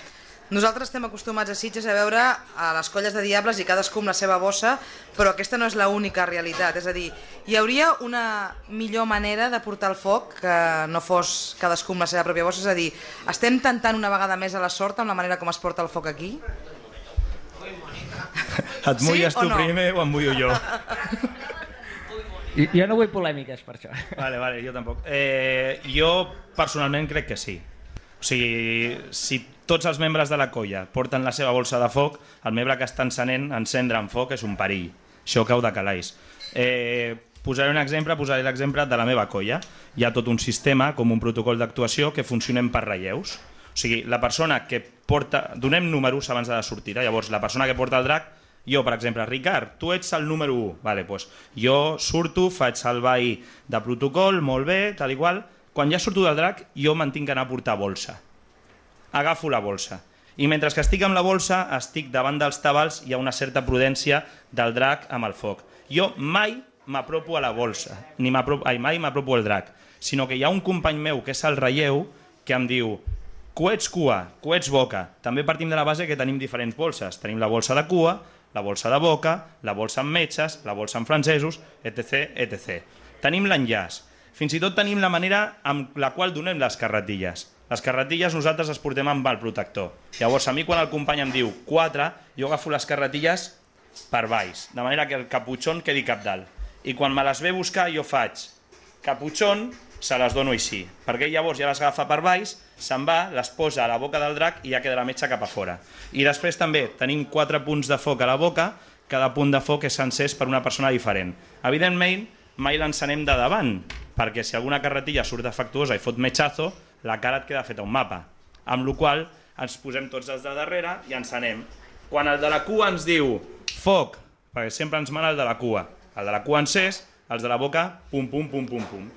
nosaltres estem acostumats a Sitges a veure a les colles de diables i cadascú amb la seva bossa, però aquesta no és l'única realitat, és a dir, hi hauria una millor manera de portar el foc que no fos cadascú amb la seva pròpia bossa, és a dir, estem tentant una vegada més a la sort amb la manera com es porta el foc aquí? Et mulles tu primer o em mullo jo? Jo no vull polèmiques per això. Vale, jo tampoc. Jo personalment crec que sí. O sigui, si tots els membres de la colla porten la seva bolsa de foc, el membre que està encendre en foc és un perill. Això cau de calaix. Posaré l'exemple de la meva colla. Hi ha tot un sistema, com un protocol d'actuació, que funcionem per relleus. O sigui, la persona que porta... Donem números abans de la sortida. Llavors, la persona que porta el drac, jo, per exemple, Ricard, tu ets el número 1. Vale, doncs jo surto, faig el ball de protocol, molt bé, tal i qual. Quan ja surto del drac, jo me'n tinc que anar a portar bolsa. Agafo la bolsa. I mentre que estic amb la bolsa, estic davant dels tabals, hi ha una certa prudència del drac amb el foc. Jo mai m'apropo a la bolsa, mai m'apropo al drac, sinó que hi ha un company meu, que és el relleu, que em diu: coets cua, coets boca. També partim de la base que tenim diferents bolses. Tenim la bolsa de cua, la bolsa de boca, la bolsa amb metges, la bolsa amb francesos, etc. etc. Tenim l'enllaç. Fins i tot tenim la manera amb la qual donem les carretilles. Les carretilles nosaltres les portem amb el protector. Llavors, a mi quan el company em diu 4, jo agafo les carretilles per baix, de manera que el caputxón quedi cap dalt. I quan me les ve a buscar jo faig caputxón, se les dono així, perquè llavors ja les agafa per baix, se'n va, les posa a la boca del drac i ja queda la metxa cap a fora. I després també tenim 4 punts de foc a la boca, cada punt de foc és encès per una persona diferent. Evidentment, mai l'encenem de davant, perquè si alguna carretilla surt defectuosa i fot metxazo, la cara et queda feta un mapa, amb la qual ens posem tots els de darrere i encenem. Quan el de la cua ens diu foc, perquè sempre ens mana el de la cua, el de la cua encès, els de la boca pum pum pum pum pum.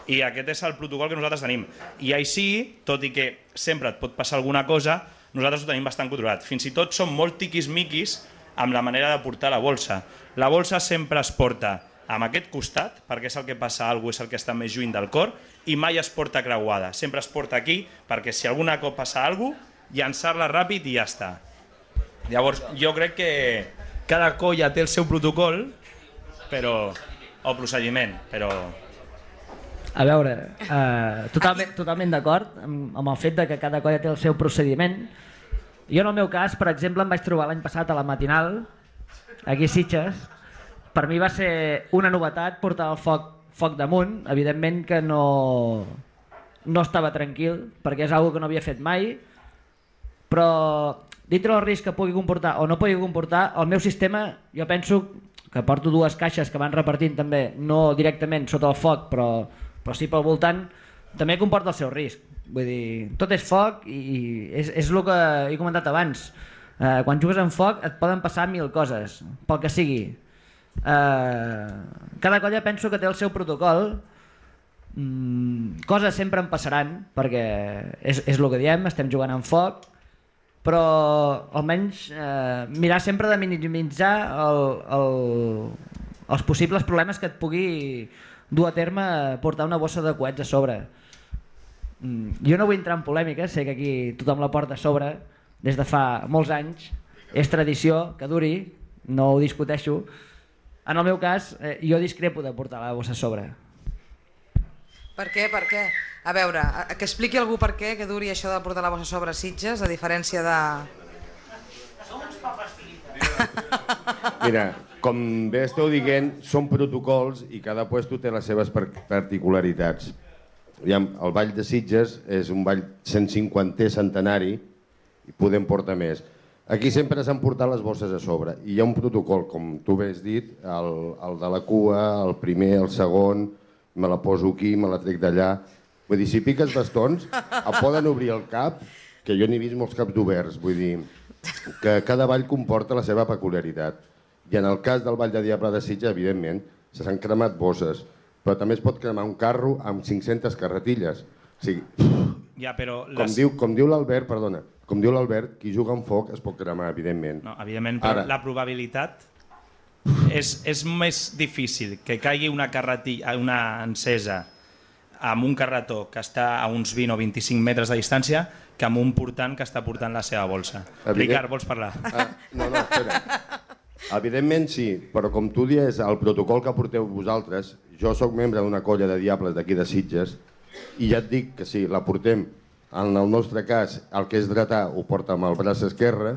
I aquest és el protocol que nosaltres tenim. I així, tot i que sempre et pot passar alguna cosa, nosaltres ho tenim bastant controlat. Fins i tot som molt tiquis-miquis amb la manera de portar la bolsa. La bolsa sempre es porta amb aquest costat, perquè és el que passa alguna cosa, és el que està més lluny del cor, i mai es porta creuada. Sempre es porta aquí, perquè si alguna cop passa alguna cosa, llançar-la ràpid i ja està. Llavors, jo crec que cada colla té el seu protocol, o procediment, però... A veure, totalment d'acord amb el fet de que cada colla té el seu procediment. Jo en el meu cas, per exemple, em vaig trobar l'any passat a la matinal, aquí a Sitges. Per mi va ser una novetat portar el foc damunt. Evidentment que no estava tranquil, perquè és una cosa que no havia fet mai, però dintre del risc que pugui comportar o no pugui comportar, el meu sistema, jo penso que porto 2 caixes que van repartint també, no directament sota el foc, però sí pel voltant, també comporta el seu risc. Vull dir, tot és foc i és el que he comentat abans. Quan jugues en foc et poden passar 1000 coses, pel que sigui. Cada colla penso que té el seu protocol. Coses sempre en passaran, perquè és el que diem, estem jugant en foc, però almenys mirar sempre de minimitzar els possibles problemes que et pugui dur a terme portar una bossa de coets a sobre. Jo no vull entrar en polèmiques, sé que aquí tothom la porta a sobre des de fa molts anys, és tradició que duri, no ho discuteixo. En el meu cas, jo discrepo de portar la bossa a sobre. Per què? Per què? A veure, que expliqui algú per què que duri això de portar la bossa a sobre Sitges, a diferència de... Som uns papes filites. Mira, com bé esteu dient, són protocols i cada puesto té les seves particularitats. El Ball de Sitges és un ball 150è centenari i podem portar més. Aquí sempre s'han portat les bosses a sobre i hi ha un protocol, com tu bé has dit, el de la cua, el primer, el segon, me la poso aquí, me la trec d'allà. Vull dir, si piques bastons, et poden obrir el cap, que jo n'he vist molts caps d'oberts, vull dir, que cada ball comporta la seva peculiaritat. I en el cas del Ball de Diable de Sitges, evidentment, s'han cremat bosses, però també es pot cremar un carro amb 500 carretilles. O sigui, ja, però com diu l'Albert, perdona, com diu l'Albert, qui juga amb foc es pot cremar, evidentment. No, evidentment, però ara, la probabilitat és més difícil que caigui una carretilla, una encesa amb un carretó que està a uns 20 o 25 metres de distància que amb un portant que està portant la seva bolsa. Ricard, vols parlar? No, espera. Evidentment sí, però com tu dius, el protocol que porteu vosaltres, jo sóc membre d'una colla de diables d'aquí de Sitges i ja et dic que sí, la portem, en el nostre cas, el que és dretà ho porta amb el braç esquerre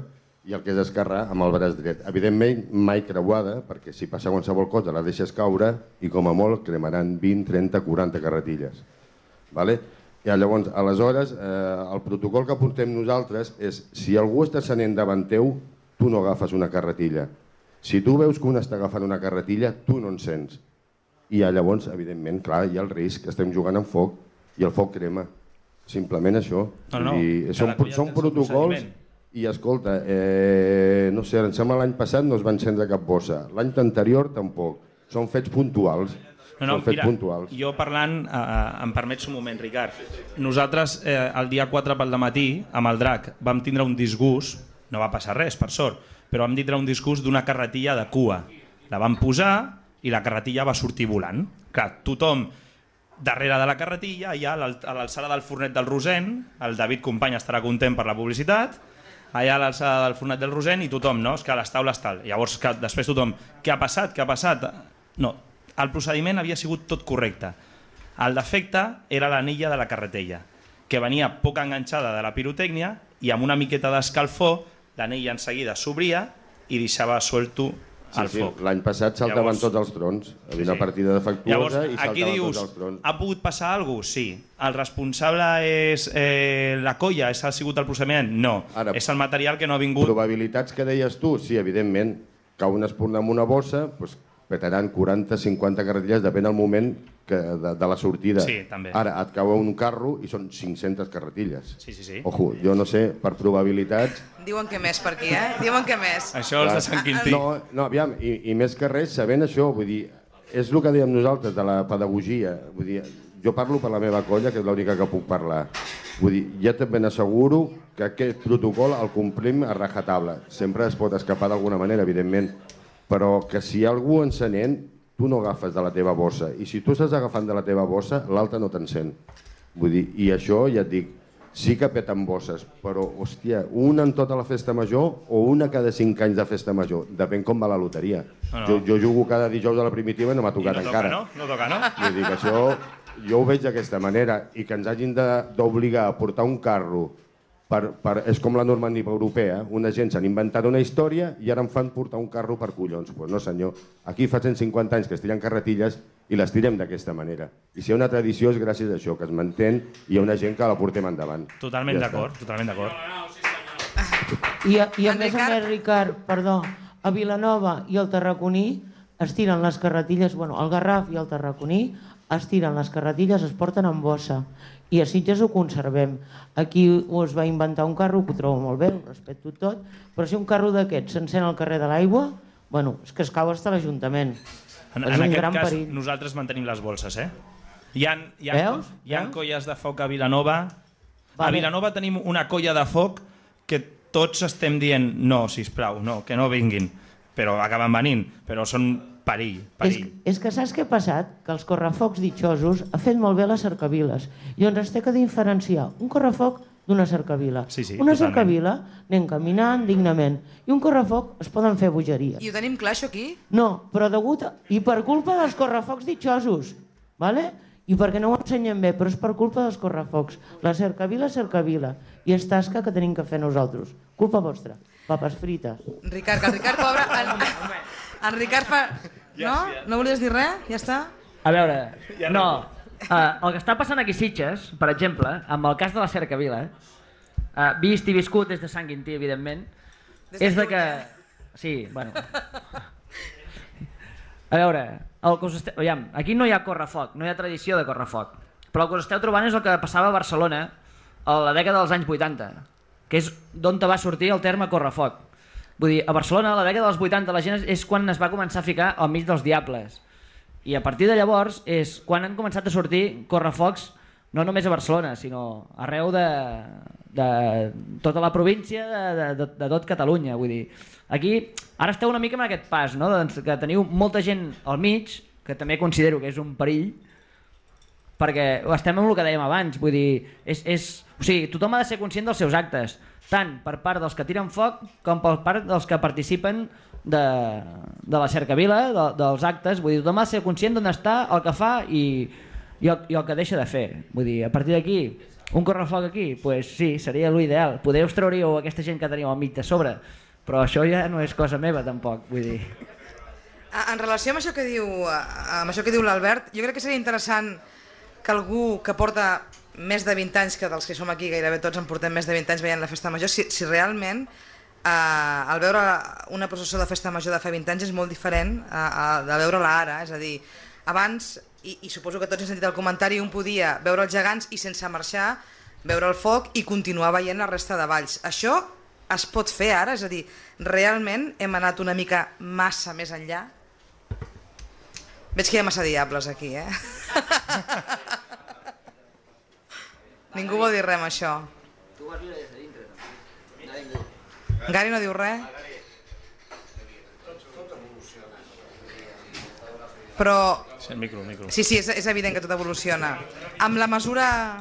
i el que és esquerrà amb el braç dret. Evidentment mai creuada, perquè si passa qualsevol cosa la deixes caure i com a molt cremaran 20, 30, 40 carretilles. I llavors, aleshores, el protocol que portem nosaltres és si algú està encenent davant teu, tu no agafes una carretilla. Si tu veus que un està agafant una carretilla, tu no encens. I llavors, evidentment, clar, hi ha el risc, estem jugant amb foc i el foc crema. Simplement això. Són protocols i, escolta, no sé, em sembla l'any passat no es va encendre cap bossa. L'any anterior tampoc. Són fets puntuals. Són fets puntuals. Jo parlant, em permets un moment, Ricard. Nosaltres, el dia 4 pel dematí, amb el drac, vam tindre un disgust, no va passar res, per sort, però vam tindre un disgust d'una carretilla de cua. La vam posar i la carretilla va sortir volant. Clar, tothom darrere de la carretilla, allà a l'alçada del Fornet del Rosent, el David Company estarà content per la publicitat, allà a l'alçada del Fornet del Rosent i tothom, no? És que les taules tal. Llavors, després tothom, què ha passat? Què ha passat? No, el procediment havia sigut tot correcte. El defecte era l'anella de la carretella, que venia poc enganxada de la pirotècnia i amb una miqueta d'escalfor l'anella en seguida s'obria i deixava suelto el foc. L'any passat saltaven tots els trons. Havia una partida defectuosa i saltaven tots els trons. Ha pogut passar alguna cosa? Sí. El responsable és la colla? Ha sigut el procediment? No. És el material que no ha vingut. Probabilitats que deies tu? Sí, evidentment. Cau una espurna amb una bossa, doncs petaran 40-50 carretilles, depèn del moment de la sortida. Sí, també. Ara, et cau un carro i són 500 carretilles. Sí. Ojo, jo no sé, per probabilitats... Diuen que més per aquí, Diuen que més. Això els de Sant Quintí. No, aviam, i més que res, sabent això, vull dir, és el que dèiem nosaltres de la pedagogia. Vull dir, jo parlo per la meva colla, que és l'única que puc parlar. Vull dir, ja te ben asseguro que aquest protocol el complim a rajatabla. Sempre es pot escapar d'alguna manera, evidentment, però que si hi ha algú encenent, tu no agafes de la teva bossa. I si tu estàs agafant de la teva bossa, l'altre no t'encén. Vull dir, i això, ja et dic, sí que peten bosses, però, hòstia, una en tota la festa major o una cada 5 anys de festa major. Depèn com va la loteria. Jo jugo cada dijous a la primitiva i no m'ha tocat encara. No toca, no? Vull dir que això, jo ho veig d'aquesta manera, i que ens hagin d'obligar a portar un carro és com la normativa europea, una gent s'han inventat una història i ara em fan portar un carro per collons. Doncs no senyor, aquí fa 150 anys que es tiren carretilles i les tirem d'aquesta manera. I si hi ha una tradició és gràcies a això, que es mantén i hi ha una gent que la portem endavant. Totalment d'acord, totalment d'acord. I a més, Ricard, perdó, a Vilanova i al Tarraconí es tiren les carretilles, bueno, al Garraf i al Tarraconí es tiren les carretilles, es porten en bossa. I a Sitges ho conservem. Aquí es va inventar un carro, que ho trobo molt bé, ho respecto tot, però si un carro d'aquests s'encén al carrer de l'Aigua, bueno, és que es cau fins a l'Ajuntament. En aquest cas, nosaltres mantenim les bolses, Hi ha colles de foc a Vilanova. A Vilanova tenim una colla de foc que tots estem dient no, sisplau, no, que no vinguin, però acaben venint, però són perill. És que saps què ha passat? Que els correfocs ditxosos ha fet molt bé les cercaviles. Llavors es té que diferenciar un correfoc d'una cercavila. Una cercavila anem caminant dignament i un correfoc es poden fer bogeries. I ho tenim clar, això, aquí? No, però i per culpa dels correfocs ditxosos, ¿vale? I perquè no ho ensenyen bé, però és per culpa dels correfocs. La cercavila és cercavila i és tasca que tenim que fer nosaltres. Culpa vostra. Papes frites. Ricard, que el Ricard, pobre... En Ricard fa... No? No volies dir res? Ja està? A veure, no. El que està passant aquí a Sitges, per exemple, amb el cas de la cercavila, vist i viscut des de Sant Quintí, evidentment, és de que... Sí, bueno... A veure, aquí no hi ha correfoc, no hi ha tradició de correfoc, però el que us esteu trobant és el que passava a Barcelona a la dècada dels anys 80, que és d'on va sortir el terme correfoc. Vull dir, a Barcelona, a la dècada dels 80, la gent és quan es va començar a ficar al mig dels diables. I a partir de llavors és quan han començat a sortir correfocs, no només a Barcelona, sinó arreu de tota la província, de tot Catalunya. Vull dir, aquí ara esteu una mica en aquest pas, no? Que teniu molta gent al mig, que també considero que és un perill, perquè estem amb el que dèiem abans, vull dir, o sigui, tothom ha de ser conscient dels seus actes, tant per part dels que tiren foc com per part dels que participen de la cercavila, dels actes. Vull dir, tothom ha de ser conscient d'on està, el que fa i el que deixa de fer. Vull dir, a partir d'aquí, un correfoc aquí, doncs sí, seria l'ideal. Podeu treuríeu aquesta gent que teniu al mig de sobre, però això ja no és cosa meva tampoc, vull dir. En relació amb això que diu l'Albert, jo crec que seria interessant que algú que porta més de 20 anys, que dels que som aquí gairebé tots en portem més de 20 anys veient la festa major, si realment el veure una processó de festa major de fa 20 anys és molt diferent de veure-la ara, és a dir, abans, i suposo que tots hem sentit el comentari, un podia veure els gegants i sense marxar, veure el foc i continuar veient la resta de balls. Això es pot fer ara? És a dir, realment hem anat una mica massa més enllà? Veig que hi ha massa diables aquí, Ningú vol dir res amb això. Gary no diu res? Però... Sí, és evident que tot evoluciona. Amb la mesura...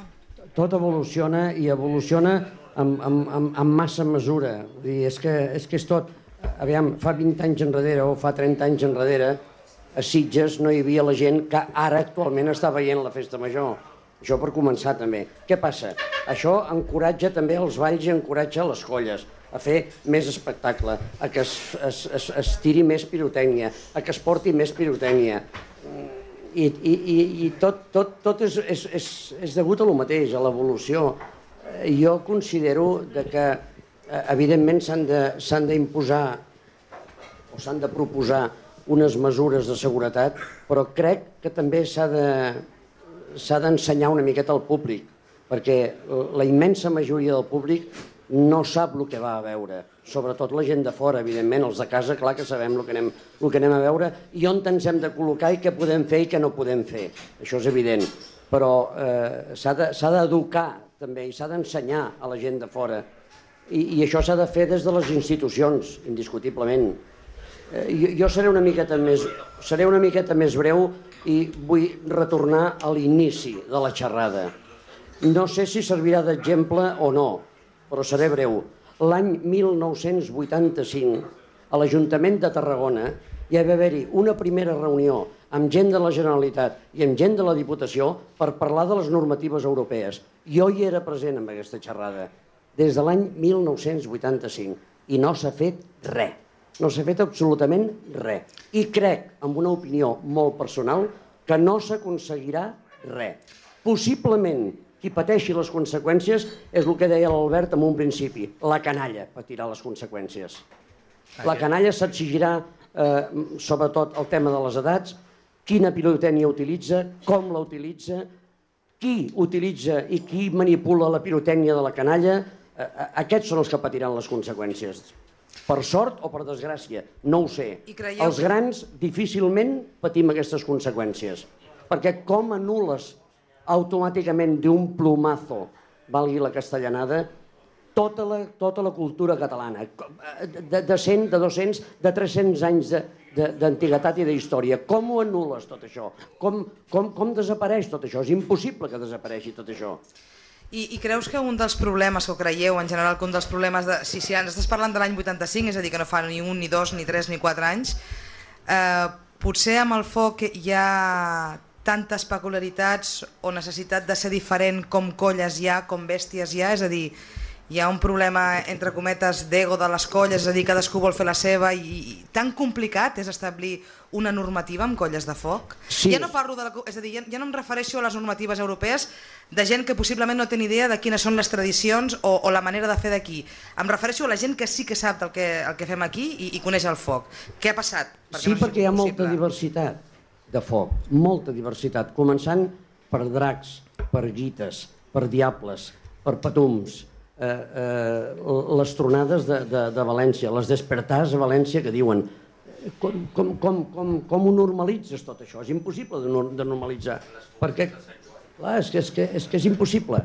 Tot evoluciona i evoluciona amb massa mesura. És que és tot... Aviam, fa 20 anys enrere o fa 30 anys enrere a Sitges no hi havia la gent que ara actualment està veient la festa major. Això per començar també. Què passa? Això encoratja també els balls i encoratja les colles a fer més espectacle, a que es tiri més pirotècnia, a que es porti més pirotècnia. I tot és degut a lo mateix, a l'evolució. Jo considero que evidentment s'han d'imposar o s'han de proposar unes mesures de seguretat, però crec que també s'ha d'ensenyar una miqueta al públic, perquè la immensa majoria del públic no sap el que va a veure, sobretot la gent de fora, evidentment, els de casa, clar que sabem el que anem a veure i on ens hem de col·locar i què podem fer i què no podem fer, això és evident, però s'ha d'educar també i s'ha d'ensenyar a la gent de fora i això s'ha de fer des de les institucions, indiscutiblement. Jo seré una miqueta més breu i vull retornar a l'inici de la xerrada. No sé si servirà d'exemple o no, però seré breu. L'any 1985, a l'Ajuntament de Tarragona, hi va haver-hi una primera reunió amb gent de la Generalitat i amb gent de la Diputació per parlar de les normatives europees. Jo hi era present en aquesta xerrada, des de l'any 1985, i no s'ha fet res. No s'ha fet absolutament res. I crec, amb una opinió molt personal, que no s'aconseguirà res. Possiblement, qui pateixi les conseqüències és el que deia l'Albert en un principi. La canalla patirà les conseqüències. La canalla s'exigirà, sobretot, el tema de les edats, quina pirotècnia utilitza, com la utilitza, qui utilitza i qui manipula la pirotècnia de la canalla. Aquests són els que patiran les conseqüències. Per sort o per desgràcia, no ho sé. Els grans difícilment patim aquestes conseqüències, perquè com anules automàticament d'un plumazo, valgui la castellanada, tota la cultura catalana, de 100, de 200, de 300 anys d'antiguitat i d'història. Com ho anules tot això? Com desapareix tot això? És impossible que desapareixi tot això. I creus que un dels problemes, que ho creieu en general, que un dels problemes, si ens estàs parlant de l'any 85, és a dir, que no fa ni 1, ni 2, ni 3, ni 4 anys, potser amb el foc hi ha tantes peculiaritats o necessitat de ser diferent com colles hi ha, com bèsties hi ha, és a dir, hi ha un problema, entre cometes, d'ego de les colles, és a dir, cadascú vol fer la seva i tan complicat és establir una normativa amb colles de foc? Sí. Ja no parlo és a dir, ja no em refereixo a les normatives europees de gent que possiblement no té ni idea de quines són les tradicions o la manera de fer d'aquí. Em refereixo a la gent que sí que sap el que fem aquí i coneix el foc. Què ha passat? Sí, perquè hi ha molta diversitat de foc, molta diversitat, començant per dracs, per guites, per diables, per patums, les tronades de València, les despertars a València que diuen com ho normalitzes tot això? És impossible de normalitzar, perquè clar, és que és impossible,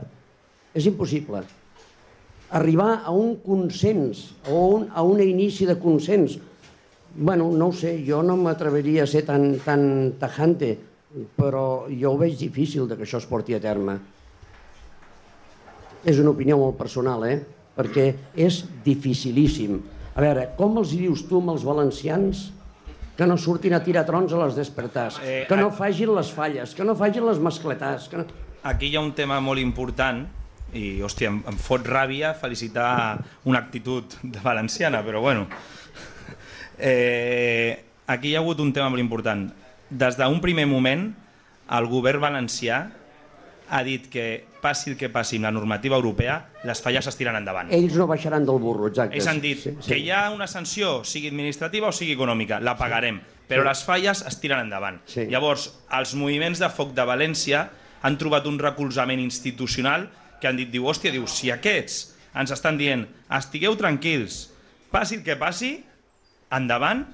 arribar a un consens o a un inici de consens. Bueno, no ho sé, jo no m'atreviria a ser tan tajante, però jo ho veig difícil que això es porti a terme. És una opinió molt personal, perquè és dificilíssim. A veure, com els dius tu amb els valencians que no surtin a tirar trons a les despertars, que no facin les falles, que no facin les mascletars? Aquí hi ha un tema molt important i, hòstia, em fot ràbia felicitar una actitud de valenciana, però bueno. Aquí hi ha hagut un tema molt important. Des d'un primer moment, el govern valencià ha dit que passi el que passi amb la normativa europea, les falles es tiren endavant. Ells no baixaran del burro, exacte. Ells han dit que hi ha una sanció, sigui administrativa o sigui econòmica, la pagarem, però les falles es tiren endavant. Llavors, els moviments de foc de València han trobat un recolzament institucional que han dit, hòstia, si aquests ens estan dient estigueu tranquils, passi el que passi, endavant,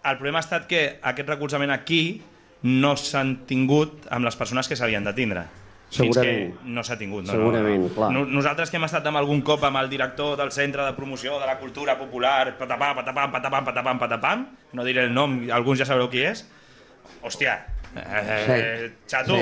El problema ha estat que aquest recolzament aquí no s'han tingut amb les persones que s'havien de tindre. Fins que no s'ha tingut. Segurament, clar. Nosaltres que hem estat amb algun cop amb el director del Centre de Promoció de la Cultura Popular, patapam, patapam, patapam, patapam, patapam, no diré el nom, alguns ja sabreu qui és, hòstia, xato.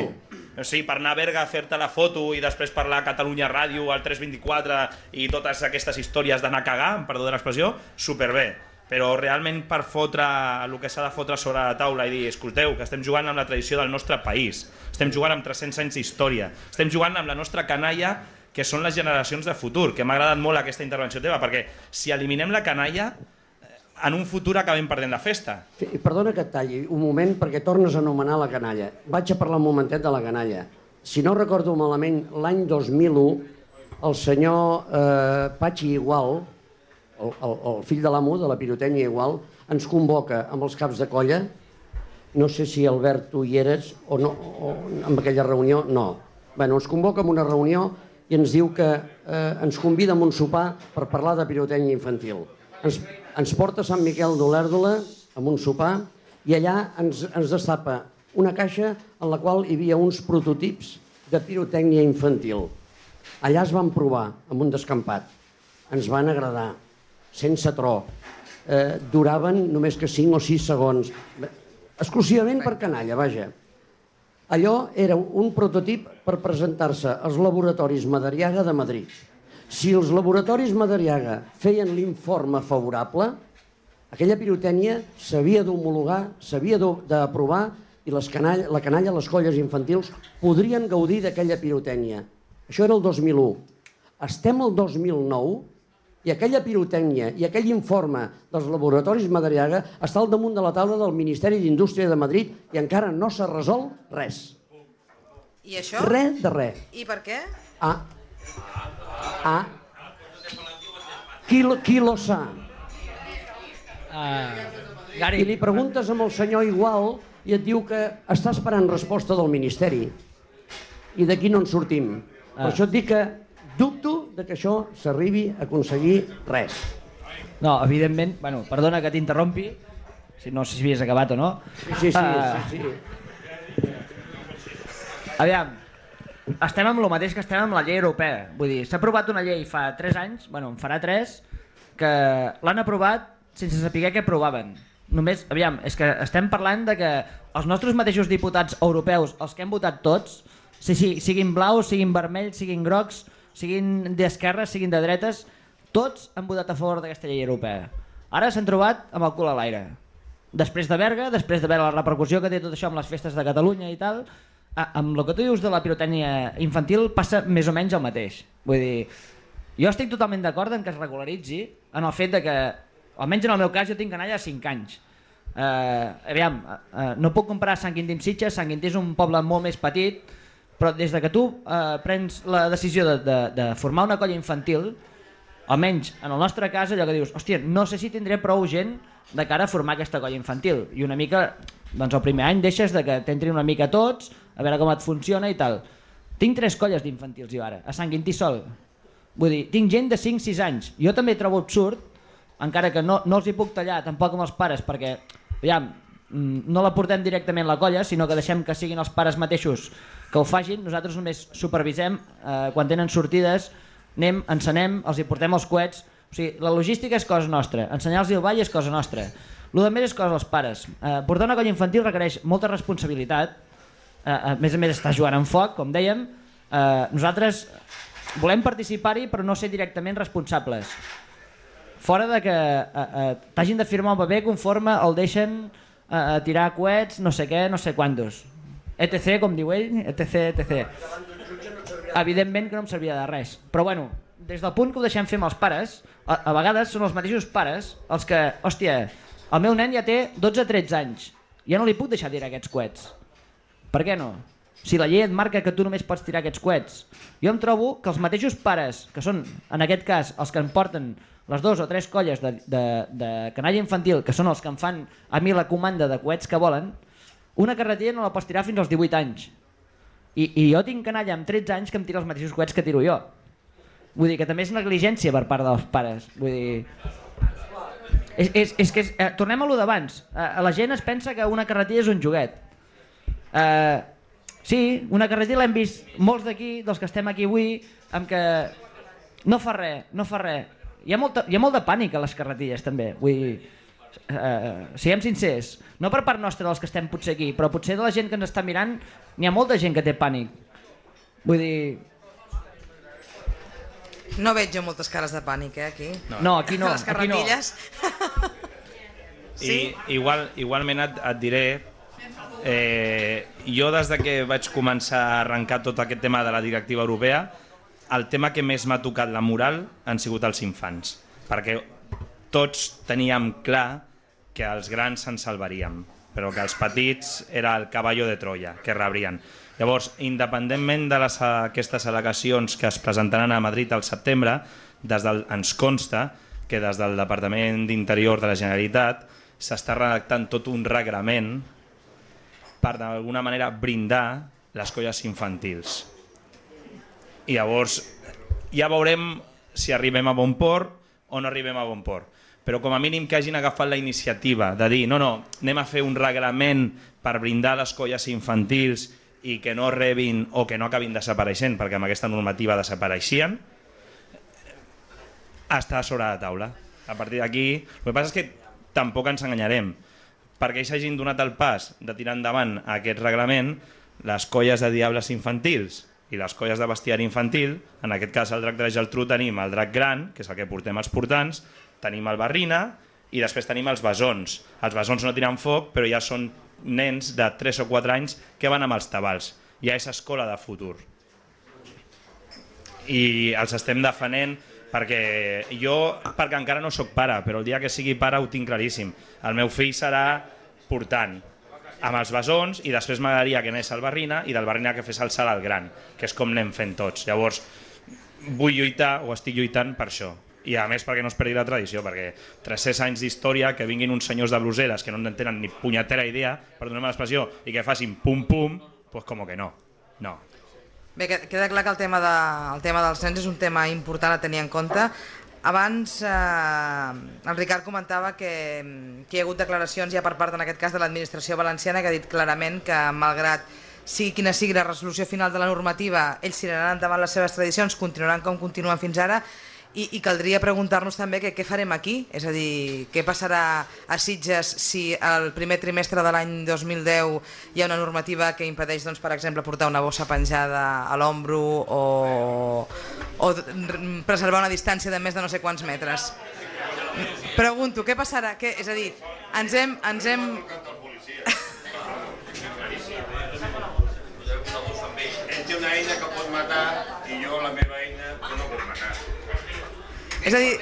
Sí, per anar a Berga a fer-te la foto i després parlar a Catalunya Ràdio, al 324 i totes aquestes històries d'anar a cagar, perdó de l'expressió, superbé. Però realment per fotre el que s'ha de fotre sobre la taula i dir, escolteu, que estem jugant amb la tradició del nostre país, estem jugant amb 300 anys d'història, estem jugant amb la nostra canalla, que són les generacions de futur, que m'ha agradat molt aquesta intervenció teva, perquè si eliminem la canalla, en un futur acabem perdent la festa. Perdona que et talli un moment, perquè tornes a anomenar la canalla. Vaig a parlar un momentet de la canalla. Si no recordo malament, l'any 2001, el senyor Patxi Igual, el fill de l'amo de la pirotècnia Igual, ens convoca amb els caps de colla. No sé si Albert tu hi eres o no, o en aquella reunió, no. Bueno, ens convoca en una reunió i ens diu que ens convida a un sopar per parlar de pirotècnia infantil. Ens porta a Sant Miquel d'Olèrdola amb un sopar i allà ens destapa una caixa en la qual hi havia uns prototips de pirotècnia infantil. Allà es van provar amb un descampat. Ens van agradar, sense tro. Duraven només que 5 o 6 segons. Exclusivament per canalla, vaja. Allò era un prototip per presentar-se als laboratoris Madariaga de Madrid. Si els laboratoris Madariaga feien l'informe favorable, aquella pirotècnia s'havia d'homologar, s'havia d'aprovar i la canalla, les colles infantils, podrien gaudir d'aquella pirotècnia. Això era el 2001. Estem al 2009 i aquella pirotècnia i aquell informe dels laboratoris Madariaga està al damunt de la taula del Ministeri d'Indústria de Madrid i encara no s'ha resolt res. I això? Res de res. I per què? Qui lo sa? I li preguntes amb el senyor Igual i et diu que està esperant resposta del Ministeri i d'aquí no en sortim. Per això et dic que dubto que això s'arribi a aconseguir res. No, evidentment, bueno, perdona que t'interrompi, no sé si havies acabat o no. Sí. Aviam, estem amb el mateix que estem amb la llei europea. Vull dir, s'ha aprovat una llei fa 3 anys, bueno, en farà 3, que l'han aprovat sense saber què aprovaven. Només, aviam, és que estem parlant de que els nostres mateixos diputats europeus, els que hem votat tots, siguin blaus, siguin vermells, siguin grocs, siguin d'esquerres, siguin de dretes, tots han votat a favor d'aquesta llei europea. Ara s'han trobat amb el cul a l'aire. Després de Berga, després de veure la repercussió que té tot això amb les festes de Catalunya i tal, amb el que tu dius de la pirotècnia infantil passa més o menys el mateix. Vull dir, jo estic totalment d'acord en que es regularitzi en el fet de que, almenys en el meu cas, jo tinc canalla a 5 anys. Aviam, no puc comparar Sant Quintí amb Sitges, Sant Quintí és un poble molt més petit, però des de que tu prens la decisió de formar una colla infantil, almenys en el nostre cas allò que dius, hòstia, no sé si tindré prou gent de cara a formar aquesta colla infantil, i una mica, doncs el primer any deixes de que t'entrin una mica tots, a veure com et funciona i tal. Tinc 3 colles d'infantils jo ara, a Sant Quintí sol. Vull dir, tinc gent de 5-6 anys. Jo també trobo absurd, encara que no els hi puc tallar tampoc amb els pares, perquè, aviam, no la portem directament a la colla, sinó que deixem que siguin els pares mateixos que ho facin. Nosaltres només supervisem quan tenen sortides, anem, encenem, els hi portem els coets. O sigui, la logística és cosa nostra, ensenyar-los el ball és cosa nostra. El que més és cosa dels pares. Portar una colla infantil requereix molta responsabilitat, a més està jugant amb foc, com dèiem. Nosaltres volem participar-hi però no ser directament responsables. Fora de que t'hagin de firmar un paper conforme el deixen tirar coets, no sé què, no sé quantos. ETC, com diu ell, ETC. Evidentment que no em servia de res. Però bueno, des del punt que ho deixem fer amb els pares, a vegades són els mateixos pares els que, hòstia, el meu nen ja té 12-13 anys, ja no li puc deixar tirar aquests coets. Per què no? Si la llei et marca que tu només pots tirar aquests coets. Jo em trobo que els mateixos pares, que són en aquest cas els que em porten les 2 o 3 colles de canalla infantil, que són els que em fan a mi la comanda de coets que volen, una carretilla no la pots tirar fins als 18 anys. I jo tinc canalla amb 13 anys que em tira els mateixos coets que tiro jo. Vull dir que també és negligència per part dels pares. Vull dir... És que tornem a lo d'abans. La gent es pensa que una carretilla és un joguet. Sí, una carretilla l'hem vist molts d'aquí, dels que estem aquí avui, amb que no fa res, no fa res. Hi ha molt de pànic a les carretilles també, vull dir, siguem sincers, no per part nostra dels que estem potser aquí, però potser de la gent que ens està mirant n'hi ha molta gent que té pànic. Vull dir... No veig jo moltes cares de pànic, aquí. No, aquí no. A les carretilles. Sí? Igualment et diré, jo des que vaig començar a arrencar tot aquest tema de la directiva europea, el tema que més m'ha tocat la moral han sigut els infants, perquè tots teníem clar que els grans se'n salvaríem, però que els petits era el cavallo de Troia, que rebrien. Llavors, independentment d'aquestes al·legacions que es presentaran a Madrid al setembre, ens consta que des del Departament d'Interior de la Generalitat s'està redactant tot un reglament per d'alguna manera brindar les colles infantils. I llavors ja veurem si arribem a bon port o no arribem a bon port. Però com a mínim que hagin agafat la iniciativa de dir no, anem a fer un reglament per brindar les colles infantils i que no rebin o que no acabin desapareixent, perquè amb aquesta normativa desapareixien, està sobre la taula. A partir d'aquí, el que passa és que tampoc ens enganyarem. Perquè ells hagin donat el pas de tirar endavant aquest reglament, les colles de diables infantils i les colles de bestiari infantil, en aquest cas el drac de la Geltrú tenim el drac gran, que és el que portem els portants, tenim el barrina i després tenim els besons. Els besons no tiren foc, però ja són nens de 3 o 4 anys que van amb els tabals. Ja és escola de futur. I els estem defenent perquè encara no sóc pare, però el dia que sigui pare ho tinc claríssim. El meu fill serà portant amb els besons i després m'agradaria que anés al barrina i del barrina que fes el salt al gran, que és com anem fent tots. Llavors, vull lluitar o estic lluitant per això. I a més perquè no es perdi la tradició, perquè 300 anys d'història, que vinguin uns senyors de bluseres que no en tenen ni punyetera idea, perdoneu-me l'expressió, i que facin pum-pum, doncs com que no. No. Bé, queda clar que el tema dels nens és un tema important a tenir en compte. Abans el Ricard comentava que hi ha hagut declaracions ja per part, en aquest cas, de l'administració valenciana, que ha dit clarament que, malgrat sigui quina sigui la resolució final de la normativa, ells tiraran endavant les seves tradicions, continuaran com continuen fins ara, i caldria preguntar-nos també què farem aquí, és a dir, què passarà a Sitges si el primer trimestre de l'any 2010 hi ha una normativa que impedeix, doncs, per exemple, portar una bossa penjada a l'ombro o preservar una distància de més de no sé quants metres. Pregunto, què passarà? És a dir, ens hem... Ell té una eina que pot matar i jo la meva eina que no pot matar. És a dir,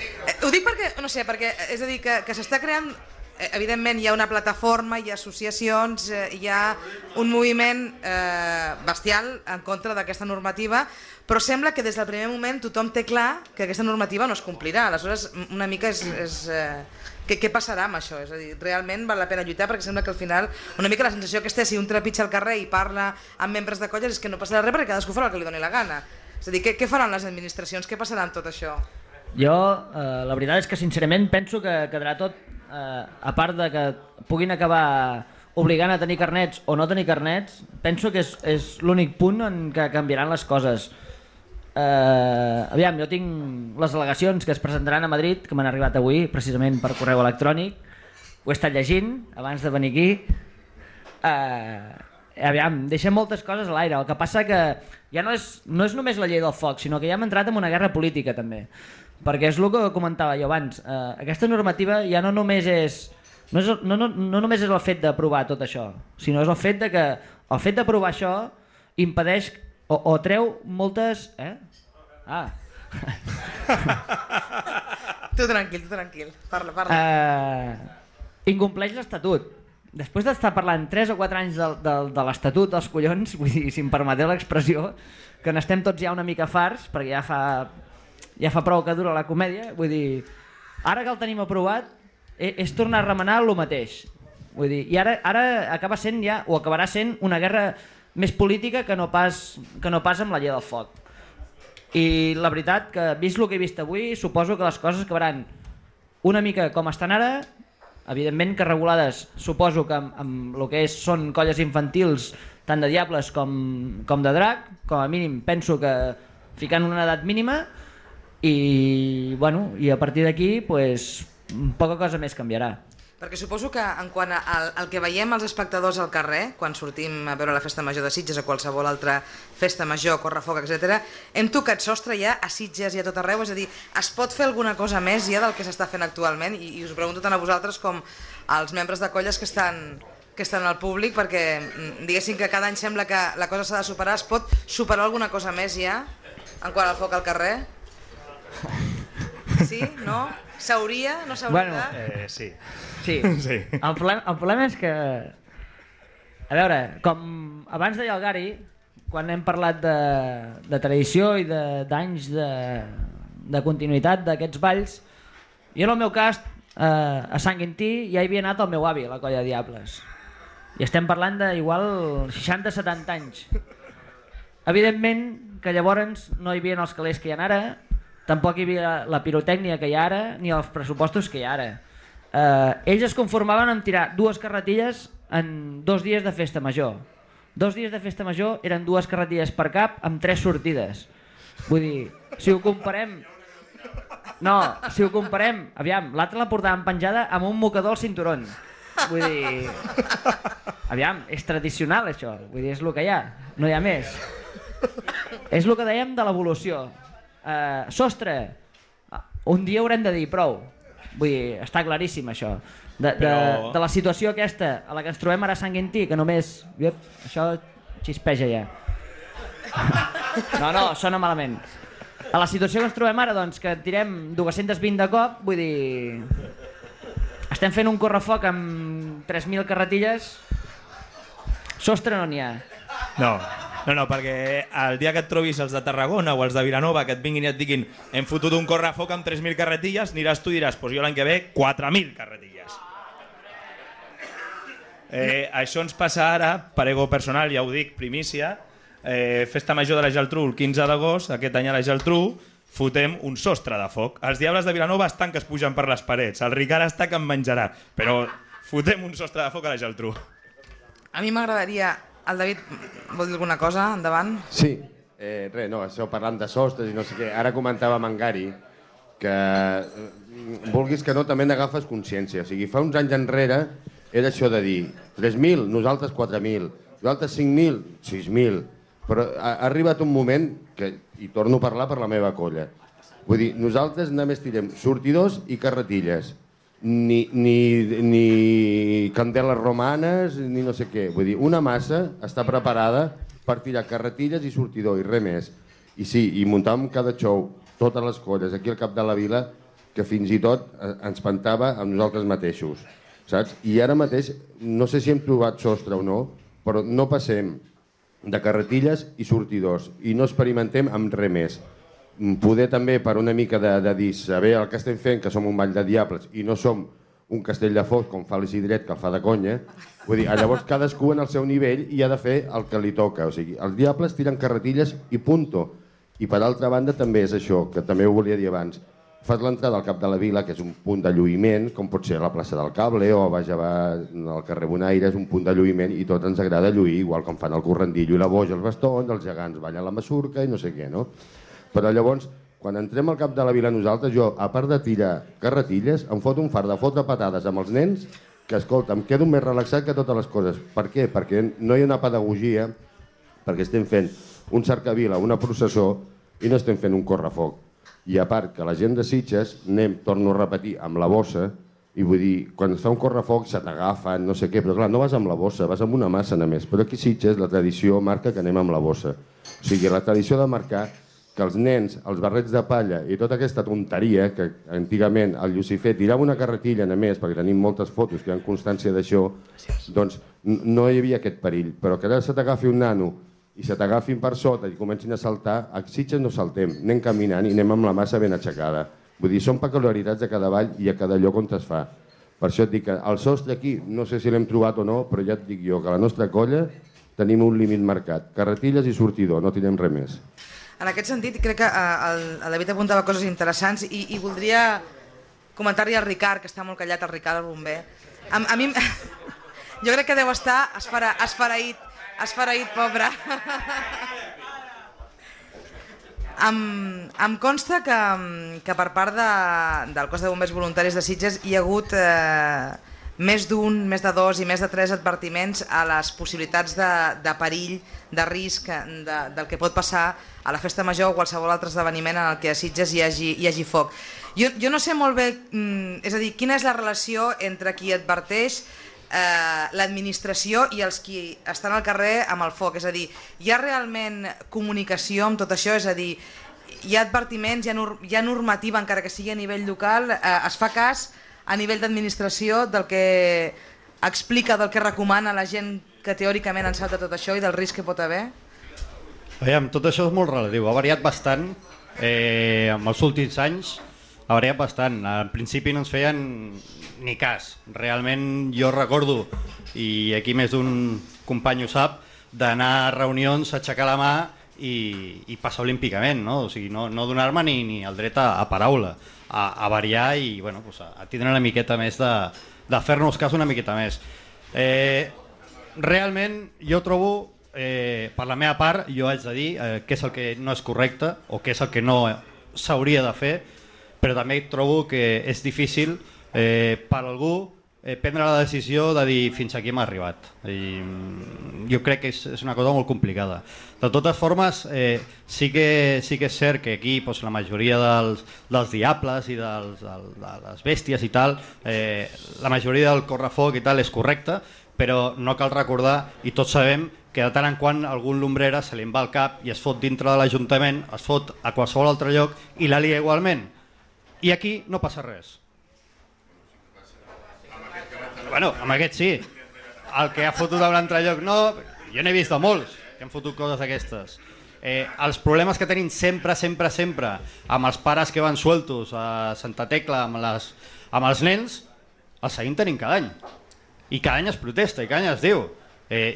ho dic perquè, no sé, és a dir, que s'està creant, evidentment hi ha una plataforma, hi ha associacions, hi ha un moviment bestial en contra d'aquesta normativa, però sembla que des del primer moment tothom té clar que aquesta normativa no es complirà. Aleshores, una mica què passarà amb això? És a dir, realment val la pena lluitar, perquè sembla que al final una mica la sensació que si un trepitja al carrer i parla amb membres de colles és que no passarà res perquè cadascú farà el que li doni la gana. És a dir, què faran les administracions? Què passarà amb tot això? Jo, la veritat és que sincerament penso que quedarà tot, a part de que puguin acabar obligant a tenir carnets o no tenir carnets, penso que és l'únic punt en què canviaran les coses. Aviam, jo tinc les al·legacions que es presentaran a Madrid, que m'han arribat avui, precisament per correu electrònic, ho he estat llegint abans de venir aquí. Aviam, deixem moltes coses a l'aire, el que passa que ja no és només la llei del foc, sinó que ja hem entrat en una guerra política també. Perquè és el que comentava jo abans, aquesta normativa ja no només és el fet d'aprovar tot això, sinó és el fet que el fet d'aprovar això impedeix o treu moltes... Tu tranquil, parla. Incompleix l'Estatut. Després d'estar parlant 3 o 4 anys de l'Estatut dels collons, vull dir, si em permeteu l'expressió, que n'estem tots ja una mica farts, perquè ja fa prou que dura la comèdia, vull dir, ara que el tenim aprovat és tornar a remenar el mateix, vull dir, i ara acaba sent ja, o acabarà sent una guerra més política que no pas amb la llei del foc. I la veritat que, vist el que he vist avui, suposo que les coses acabaran una mica com estan ara, evidentment que regulades suposo que amb el que són colles infantils tant de diables com de drac, com a mínim penso que ficant una edat mínima i a partir d'aquí poca cosa més canviarà. Perquè suposo que en quant al que veiem els espectadors al carrer, quan sortim a veure la Festa Major de Sitges o qualsevol altra festa major, correfoc, etc., hem tocat sostre ja a Sitges i a tot arreu, és a dir, es pot fer alguna cosa més ja del que s'està fent actualment? I us ho pregunto tant a vosaltres com als membres de colles que estan al públic, perquè diguéssim que cada any sembla que la cosa s'ha de superar. Es pot superar alguna cosa més ja en quant al foc al carrer? Sí? No? S'hauria? No s'hauria? Sí. Sí. El problema és que, a veure, com abans deia el Gary, quan hem parlat de tradició i d'anys de continuïtat d'aquests balls, jo en el meu cas a Sant Quintí ja hi havia anat el meu avi a la colla de Diables i estem parlant d'igual 60-70 anys. Evidentment que llavors no hi havia els calés que hi ha ara, tampoc hi havia la pirotècnia que hi ha ara ni els pressupostos que hi ha ara. Ells es conformaven amb tirar 2 carretilles en 2 dies de festa major. 2 dies de festa major eren 2 carretilles per cap amb 3 sortides. Vull dir, si ho comparem... No, si ho comparem... Aviam, l'altre la portaven penjada amb un mocador al cinturón. Vull dir... Aviam, és tradicional això. Vull dir, és el que hi ha. No hi ha més. És el que dèiem de l'evolució. Sostre, un dia haurem de dir prou. Vull dir, està claríssim això. De la situació aquesta a la que ens trobem ara a Sant Quintí, que només... Això xispeja ja. No, sona malament. A la situació que ens trobem ara, doncs, que tirem 220 de cop, vull dir... Estem fent un correfoc amb 3.000 carretilles. Sostre no n'hi ha. No, perquè el dia que et trobis els de Tarragona o els de Vilanova que et vinguin i et diguin hem fotut un correfoc amb 3.000 carretilles, aniràs tu i diràs jo l'any que ve 4.000 carretilles. Això ens passa ara, per ego personal, ja ho dic, primícia, Festa Major de la Geltrú el 15 d'agost, aquest any a la Geltrú, fotem un sostre de foc. Els Diables de Vilanova estan que es pugen per les parets, el Ricard està que en menjarà, però fotem un sostre de foc a la Geltrú. A mi m'agradaria... El David vol dir alguna cosa? Endavant. Sí, esteu parlant de sostres i no sé què. Ara comentava amb en Gary que vulguis que no també n'agafes consciència. O sigui, fa uns anys enrere era això de dir 3.000, nosaltres 4.000, nosaltres 5.000, 6.000. Però ha arribat un moment que, i torno a parlar per la meva colla, vull dir, nosaltres només tirem sortidors i carretilles. Ni candeles romanes ni no sé què, vull dir, una massa està preparada per tirar carretilles i sortidor i res més. I sí, i muntàvem cada show, totes les colles aquí al cap de la vila, que fins i tot ens pantava amb nosaltres mateixos, saps? I ara mateix, no sé si hem trobat sostre o no, però no passem de carretilles i sortidors i no experimentem amb res més. Poder també per una mica de dir saber el que estem fent, que som un ball de diables i no som un castell de foc com fa l'Isidret, que el fa de conya, vull dir, llavors cadascú en el seu nivell i ha de fer el que li toca. O sigui, els diables tiren carretilles i punto. I per altra banda també és això, que també ho volia dir abans. Fas l'entrada al cap de la vila, que és un punt de lluïment, com pot ser a la plaça del Cable o a baix al carrer Bonaire, és un punt de lluïment i tot ens agrada lluir, igual com fan el correndillo i la boja, els bastons, els gegants ballen la masurca i no sé què, no? Però llavors, quan entrem al cap de la vila nosaltres, jo, a part de tirar carretilles, em foto un fart de fotre patades amb els nens, que, escolta, em quedo més relaxat que totes les coses. Per què? Perquè no hi ha una pedagogia, perquè estem fent un cercavila, una processó, i no estem fent un correfoc. I a part que la gent de Sitges, anem, torno a repetir, amb la bossa, i vull dir, quan es fa un correfoc se t'agafen, no sé què, però clar, no vas amb la bossa, vas amb una massa només. Però aquí a Sitges la tradició marca que anem amb la bossa. O sigui, la tradició de marcar que els nens, els barrets de palla i tota aquesta tonteria, que antigament el Llucifer tirava una carretilla només, perquè tenim moltes fotos que hi ha constància d'això, doncs no hi havia aquest perill. Però que ara se t'agafi un nano i se t'agafin per sota i comencin a saltar, a Sitges no saltem, anem caminant i anem amb la massa ben aixecada. Vull dir, són peculiaritats de cada vall i a cada lloc on es fa. Per això et dic que el sostre aquí, no sé si l'hem trobat o no, però ja et dic jo que a la nostra colla tenim un límit marcat. Carretilles i sortidor, no tirem res més. En aquest sentit, crec que el David apuntava coses interessants i voldria comentari al Ricard, que està molt callat, el Ricard, el bomber. A mi... Jo crec que deu estar esfereït, pobre. Em consta que per part del cos de bombers voluntaris de Sitges hi ha hagut més d'un, més de dos i més de 3 advertiments a les possibilitats de perill, de risc del que pot passar a la festa major o qualsevol altre esdeveniment en el que a Sitges hi hagi foc. Jo no sé molt bé, és a dir, quina és la relació entre qui adverteix l'administració i els qui estan al carrer amb el foc, és a dir, hi ha realment comunicació amb tot això, és a dir, hi ha advertiments, hi ha normativa encara que sigui a nivell local, es fa cas a nivell d'administració del que explica, del que recomana la gent que teòricament en sap de tot això i del risc que pot haver? Veiem, tot això és molt relatiu, ha variat bastant en els últims anys, ha variat bastant. Al principi no ens feien ni cas. Realment jo recordo, i aquí més d'un company ho sap, d'anar a reunions, aixecar la mà i passar olímpicament, no? O sigui, no donar-me ni el dret a paraula, a variar i bueno, pues a tindre una miqueta més de fer-nos cas una miqueta més. Realment jo trobo, per la meva part, jo haig de dir què és el que no és correcte o què és el que no s'hauria de fer, però també trobo que és difícil per algú prendre la decisió de dir fins aquí hem arribat. Jo crec que és una cosa molt complicada. De totes formes, sí que és cert que aquí la majoria dels diables i de les bèsties i tal, la majoria del correfoc i tal és correcte, però no cal recordar, i tots sabem, que de tant en quant algun lumbrera se li va al cap i es fot dintre de l'Ajuntament, es fot a qualsevol altre lloc i la lia igualment. I aquí no passa res. Bueno, amb aquest sí. El que ha fotut a un altre lloc no. Jo n'he vist de molts que han fotut coses d'aquestes. Els problemes que tenim sempre amb els pares que van sueltos a Santa Tecla amb els nens, els seguim tenint cada any. I cada any es protesta, i cada any es diu.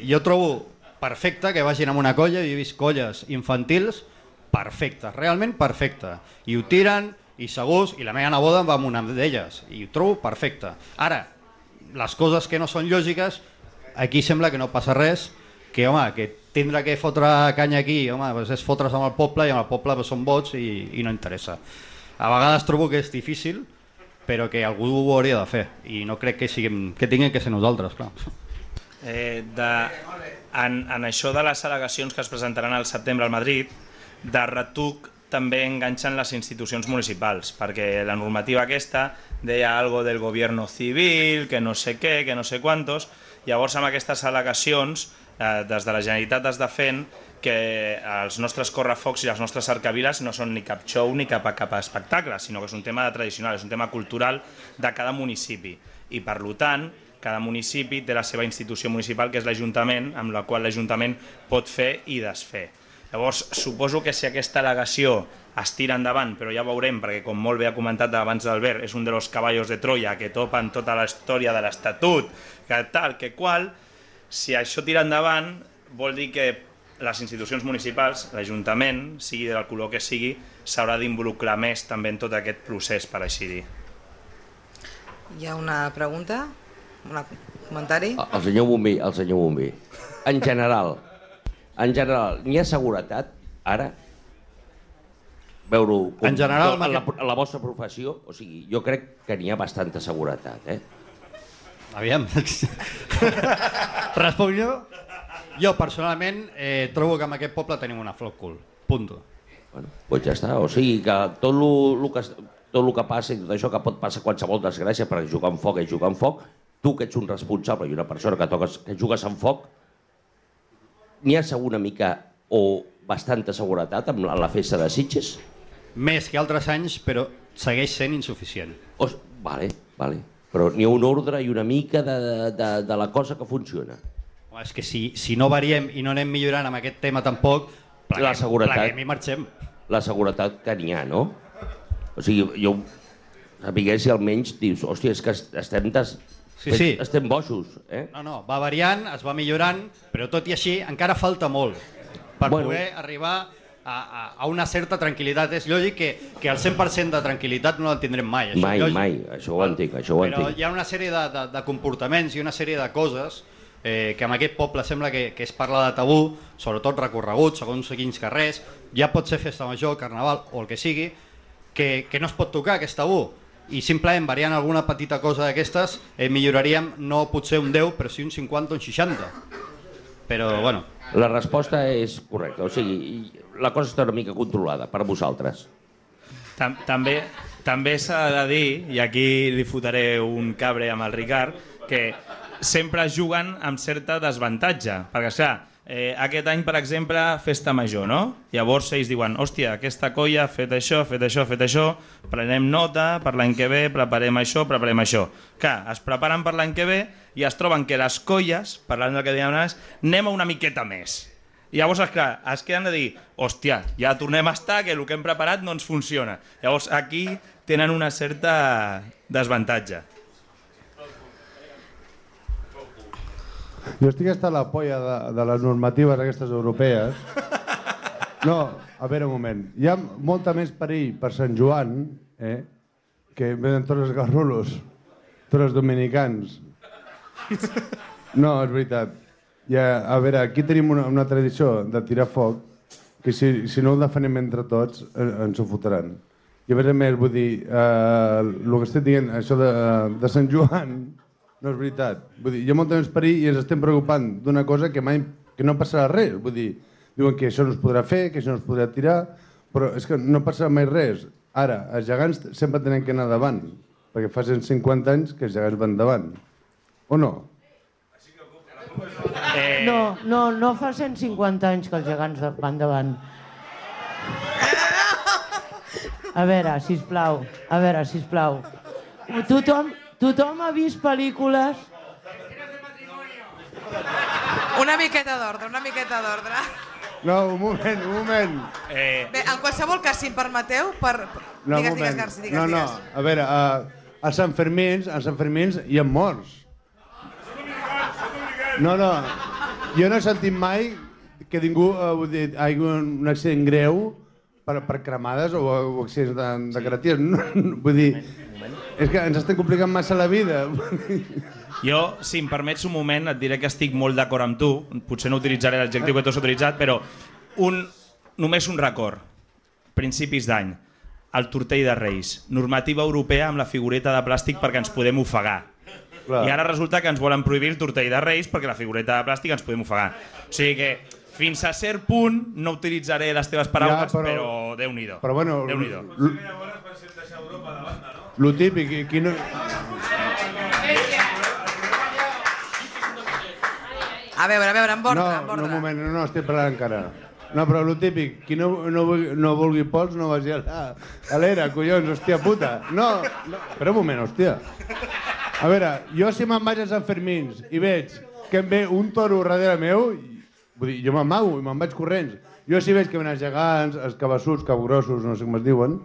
Jo trobo perfecte que vagin amb una colla, i he vist colles infantils perfectes, realment perfectes. I ho tiren, i segurs, i la meva neboda va amb una d'elles, i ho trobo perfecte. Ara, les coses que no són lògiques, aquí sembla que no passa res, que tindre que fotre canya aquí, és fotre's amb el poble, i amb el poble són vots i no interessa. A vegades trobo que és difícil, però que algú ho hauria de fer, i no crec que tinguin que ser nosaltres, clar. En això de les al·legacions que es presentaran al setembre al Madrid, de retoc també enganxen les institucions municipals, perquè la normativa aquesta deia algo del gobierno civil, que no sé què, que no sé quantos. Llavors amb aquestes al·legacions des de la Generalitat es defen que els nostres correfocs i les nostres cercaviles no són ni cap show ni cap espectacle, sinó que és un tema tradicional, és un tema cultural de cada municipi, i per tant cada municipi té la seva institució municipal, que és l'Ajuntament, amb la qual l'Ajuntament pot fer i desfer. Llavors, suposo que si aquesta al·legació es tira endavant, però ja veurem, perquè com molt bé ha comentat abans d'Albert, és un dels cavallos de Troia que topen tota la història de l'Estatut, que tal, que qual, si això tira endavant, vol dir que les institucions municipals, l'Ajuntament, sigui del color que sigui, s'haurà d'involucrar més també en tot aquest procés, per així dir. Hi ha una pregunta? Un comentari? El senyor Bomber. En general, n'hi ha seguretat ara? Veure-ho en general, a la vostra professió, o sigui, jo crec que n'hi ha bastanta seguretat, Aviam. Responc jo? Jo personalment trobo que en aquest poble tenim una flor cul. Punto. Bueno, doncs ja està, o sigui que tot el que passa i tot això que pot passar qualsevol desgràcia, perquè jugar amb foc és jugar amb foc, tu que ets un responsable i una persona que jugues amb foc, n'hi ha una mica o bastanta seguretat amb la festa de Sitges? Més que altres anys, però segueix sent insuficient. Vale. Però n'hi ha un ordre i una mica de la cosa que funciona. És que si no variem i no anem millorant amb aquest tema tampoc, pleguem i marxem. La seguretat que n'hi ha, no? O sigui, jo sapigués si almenys dius, hòstia, és que estem boixos. No, va variant, es va millorant, però tot i així encara falta molt per poder arribar a una certa tranquil·litat. És lògic que el 100% de tranquil·litat no la tindrem mai. Mai, això ho entenc. Però hi ha una sèrie de comportaments i una sèrie de coses que en aquest poble sembla que es parla de tabú, sobretot recorregut, segons quins carrers, ja pot ser festa major, carnaval o el que sigui, que no es pot tocar, que és tabú. I simplement variant alguna petita cosa d'aquestes milloraríem no potser un 10 però sí un 50 o un 60. Però bueno, la resposta és correcta, o sigui, la cosa està una mica controlada per vosaltres. També s'ha de dir, i aquí li fotré un cabre amb el Ricard, que sempre juguen amb certa desavantatge, perquè clar, aquest any, per exemple, festa major, no? Llavors ells diuen, hòstia, aquesta colla ha fet això, prenem nota, per l'any que ve preparem això. Clar, es preparen per l'any que ve i es troben que les colles, parlant del que dèiem abans, anem a una miqueta més. I llavors, esclar, es queden de dir, hòstia, ja tornem a estar, que el que hem preparat no ens funciona. Llavors aquí tenen una certa desavantatge. Jo estic hasta la polla de les normatives aquestes europees. No, a veure un moment. Hi ha molta més perill per Sant Joan que venen tots els garrulos, tots els dominicans. No, és veritat. A veure, aquí tenim una tradició de tirar foc que si no ho defenem entre tots ens ho fotran. I a més, vull dir, el que estic dient, això de Sant Joan, no és veritat. Vull dir, hi ha molt més perill i ens estem preocupant d'una cosa que no passarà res. Vull dir, diuen que això no es podrà fer, que això no es podrà tirar, però és que no passarà mai res. Ara, els gegants sempre tenen que anar davant, perquè fa 150 anys que els gegants van davant. O no? No fa 150 anys que els gegants van davant. A veure, sisplau. Tothom ha vist pel·lícules... Una miqueta d'ordre. No, un moment. Bé, en qualsevol cas, si em permeteu, digues, Garci, digues. No, a veure, a Sant Fermins hi ha morts. No, jo no he sentit mai que ningú hi hagi un accident greu per cremades o accidents de carreteres. Vull dir, és que ens estem complicant massa la vida. Jo, si em permets un moment, et diré que estic molt d'acord amb tu. Potser no utilitzaré l'adjectiu que tu has utilitzat, però només un record. Principis d'any. El tortell de Reis. Normativa europea amb la figureta de plàstic perquè ens podem ofegar. I ara resulta que ens volen prohibir el tortell de Reis perquè la figureta de plàstic ens podem ofegar. O sigui que fins a cert punt no utilitzaré les teves paraules, però Déu-n'hi-do. Però bueno, lo típic, qui no... A veure, en ordre. No, un moment, no estic parlant encara. No, però lo típic, qui no vulgui pols no vagi a l'era, collons, hòstia puta. No, espera un moment, hòstia. A veure, jo si me'n vaig a Sant Fermins i veig que em ve un toro darrere meu, vull dir, jo m'amago i me'n vaig corrents. Jo si veig que venen els gegants, els cabassuts, cabgrossos, no sé com es diuen,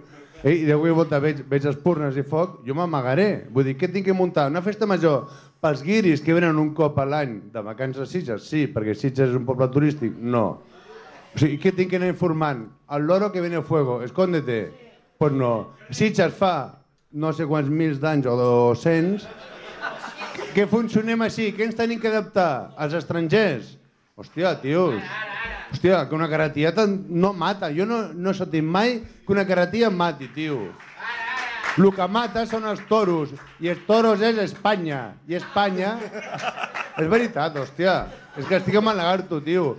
i de qualsevol volta veig espurnes i foc, jo m'amagaré. Vull dir, què tinc que muntar? Una festa major pels guiris que venen un cop a l'any de vacances a Sitges? Sí, perquè Sitges és un poble turístic? No. O sigui, què tinc que anar informant? El loro que viene a fuego, escóndete. Pues no. Sitges fa no sé quants mils d'anys o 200 que funcionem així. Què ens tenim que adaptar? Els estrangers? Hòstia, tios. Hòstia, que una carretilla no mata. Jo no he sentit mai que una carretilla mati, tio. El que mata són els toros. I els toros és Espanya. I Espanya... És veritat, hòstia. És que estic amb el lagarto, tio.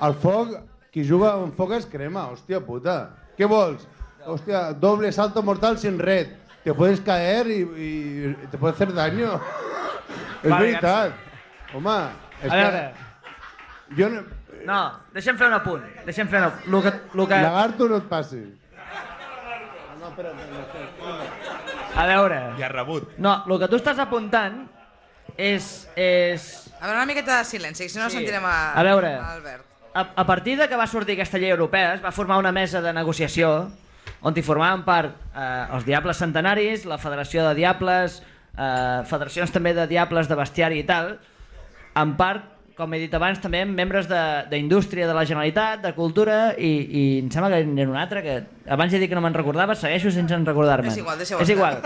El foc, qui juga amb foc es crema, hòstia puta. Què vols? Hòstia, doble salto mortal sin red. Te puedes caer y te puede hacer daño. És veritat. Home, és que... Jo no... No, deixem fer un apunt. Lagarto, no et passis. A veure... Ja rebut. No, el que tu estàs apuntant és... A veure, una miqueta de silenci, si no sentirem a veure, Albert. A partir de que va sortir aquesta llei europea, es va formar una mesa de negociació on hi formaven part els Diables Centenaris, la Federació de Diables, federacions també de Diables de Bestiari i tal, en part com he dit abans, també membres d'indústria de la Generalitat, de cultura, i em sembla que n'hi ha un altre, que abans he dit que no me'n recordava, segueixo sense recordar-me. És igual, deixeu-ho. És igual.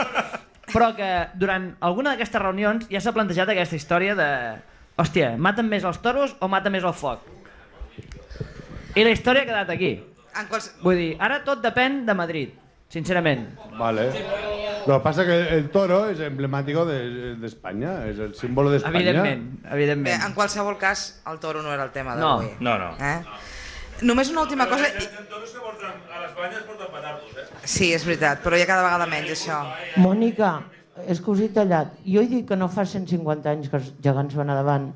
Però que durant alguna d'aquestes reunions ja s'ha plantejat aquesta història de... Hòstia, maten més els toros o maten més el foc? I la història ha quedat aquí. Vull dir, ara tot depèn de Madrid, sincerament. Vale. Lo que pasa es que el toro es emblemático de España, es el símbolo de España. Evidentment. Bé, en qualsevol cas, el toro no era el tema d'avui. No. Només una última cosa... Els toros que porten a les banyes porten petardos, Sí, és veritat, però ja cada vegada menys, això. Mònica, és que us he tallat. Jo he dit que no fa 150 anys que els gegants van a davant,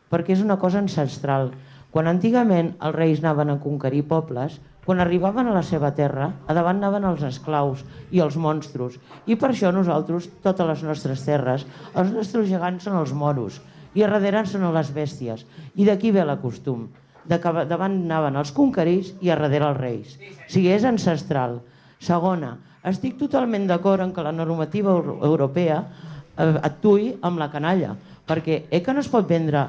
perquè és una cosa ancestral. Quan antigament els reis anaven a conquerir pobles, quan arribaven a la seva terra, a davant anaven els esclaus i els monstros. I per això nosaltres, totes les nostres terres, els nostres gegants són els moros, i a darrere són les bèsties. I d'aquí ve la costum. Davant anaven els conquerits i a darrere els reis. O sigui, és ancestral. Segona, estic totalment d'acord en que la normativa europea actuï amb la canalla, perquè que no es pot vendre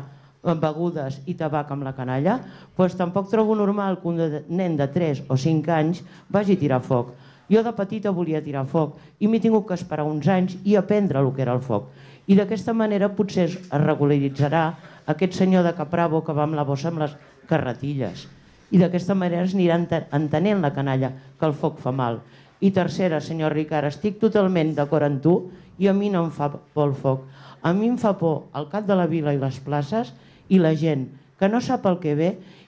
begudes i tabac amb la canalla, doncs tampoc trobo normal que un nen de 3 o 5 anys vagi a tirar foc. Jo de petita volia tirar foc i m'he tingut que esperar uns anys i aprendre el que era el foc. I d'aquesta manera potser es regularitzarà aquest senyor de Capravo que va amb la bossa amb les carretilles. I d'aquesta manera es anirà entenent la canalla, que el foc fa mal. I tercera, senyor Ricard, estic totalment d'acord amb tu i a mi no em fa por el foc. A mi em fa por el cap de la vila i les places i la gent que no sap el que ve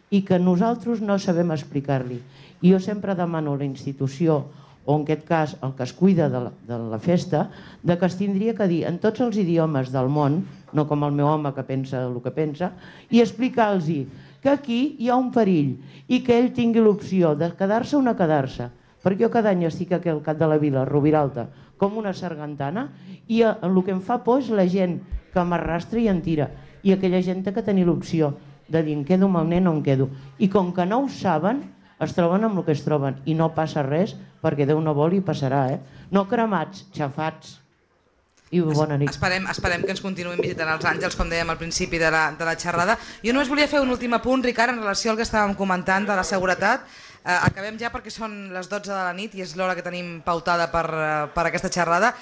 i que nosaltres no sabem explicar-li. I jo sempre demano a la institució, o en aquest cas el que es cuida de la festa, que es tindria que dir en tots els idiomes del món, no com el meu home que pensa el que pensa, i explicar-los que aquí hi ha un perill i que ell tingui l'opció de quedar-se o no quedar-se. Perquè jo cada any estic aquí al cap de la vila, a Rubiralta, com una sargantana, i el que em fa por és la gent que m'arrastra i em tira. I aquella gent té que tenir l'opció de dir em quedo amb el nen o em quedo. I com que no ho saben, es troben amb el que es troben i no passa res, perquè Déu no vol i passarà, No cremats, xafats. I bona nit. Esperem que ens continuïn visitant els àngels, com dèiem al principi de la xerrada. Jo només volia fer un últim apunt, Ricard, en relació al que estàvem comentant de la seguretat. Acabem ja perquè són les 12 de la nit i és l'hora que tenim pautada per aquesta xerrada.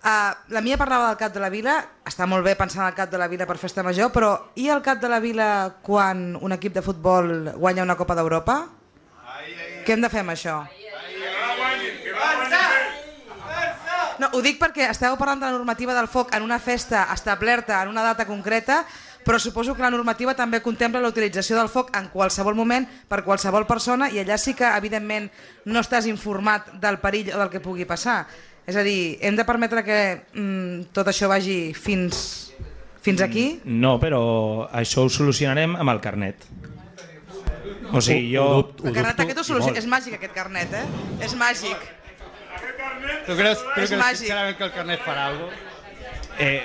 La Mia parlava del cap de la vila, està molt bé pensar en el cap de la vila per festa major, però i el cap de la vila quan un equip de futbol guanya una Copa d'Europa? Què hem de fer amb això? No, ho dic perquè esteu parlant de la normativa del foc en una festa establerta en una data concreta, però suposo que la normativa també contempla la utilització del foc en qualsevol moment per qualsevol persona i allà sí que evidentment no estàs informat del perill o del que pugui passar. És a dir, hem de permetre que tot això vagi fins aquí? No, però això ho solucionarem amb el carnet. O sigui, jo... El carnet aquest ho soluciona. És màgic aquest carnet, És màgic. ¿Tú crees sincerament que el carnet farà alguna cosa?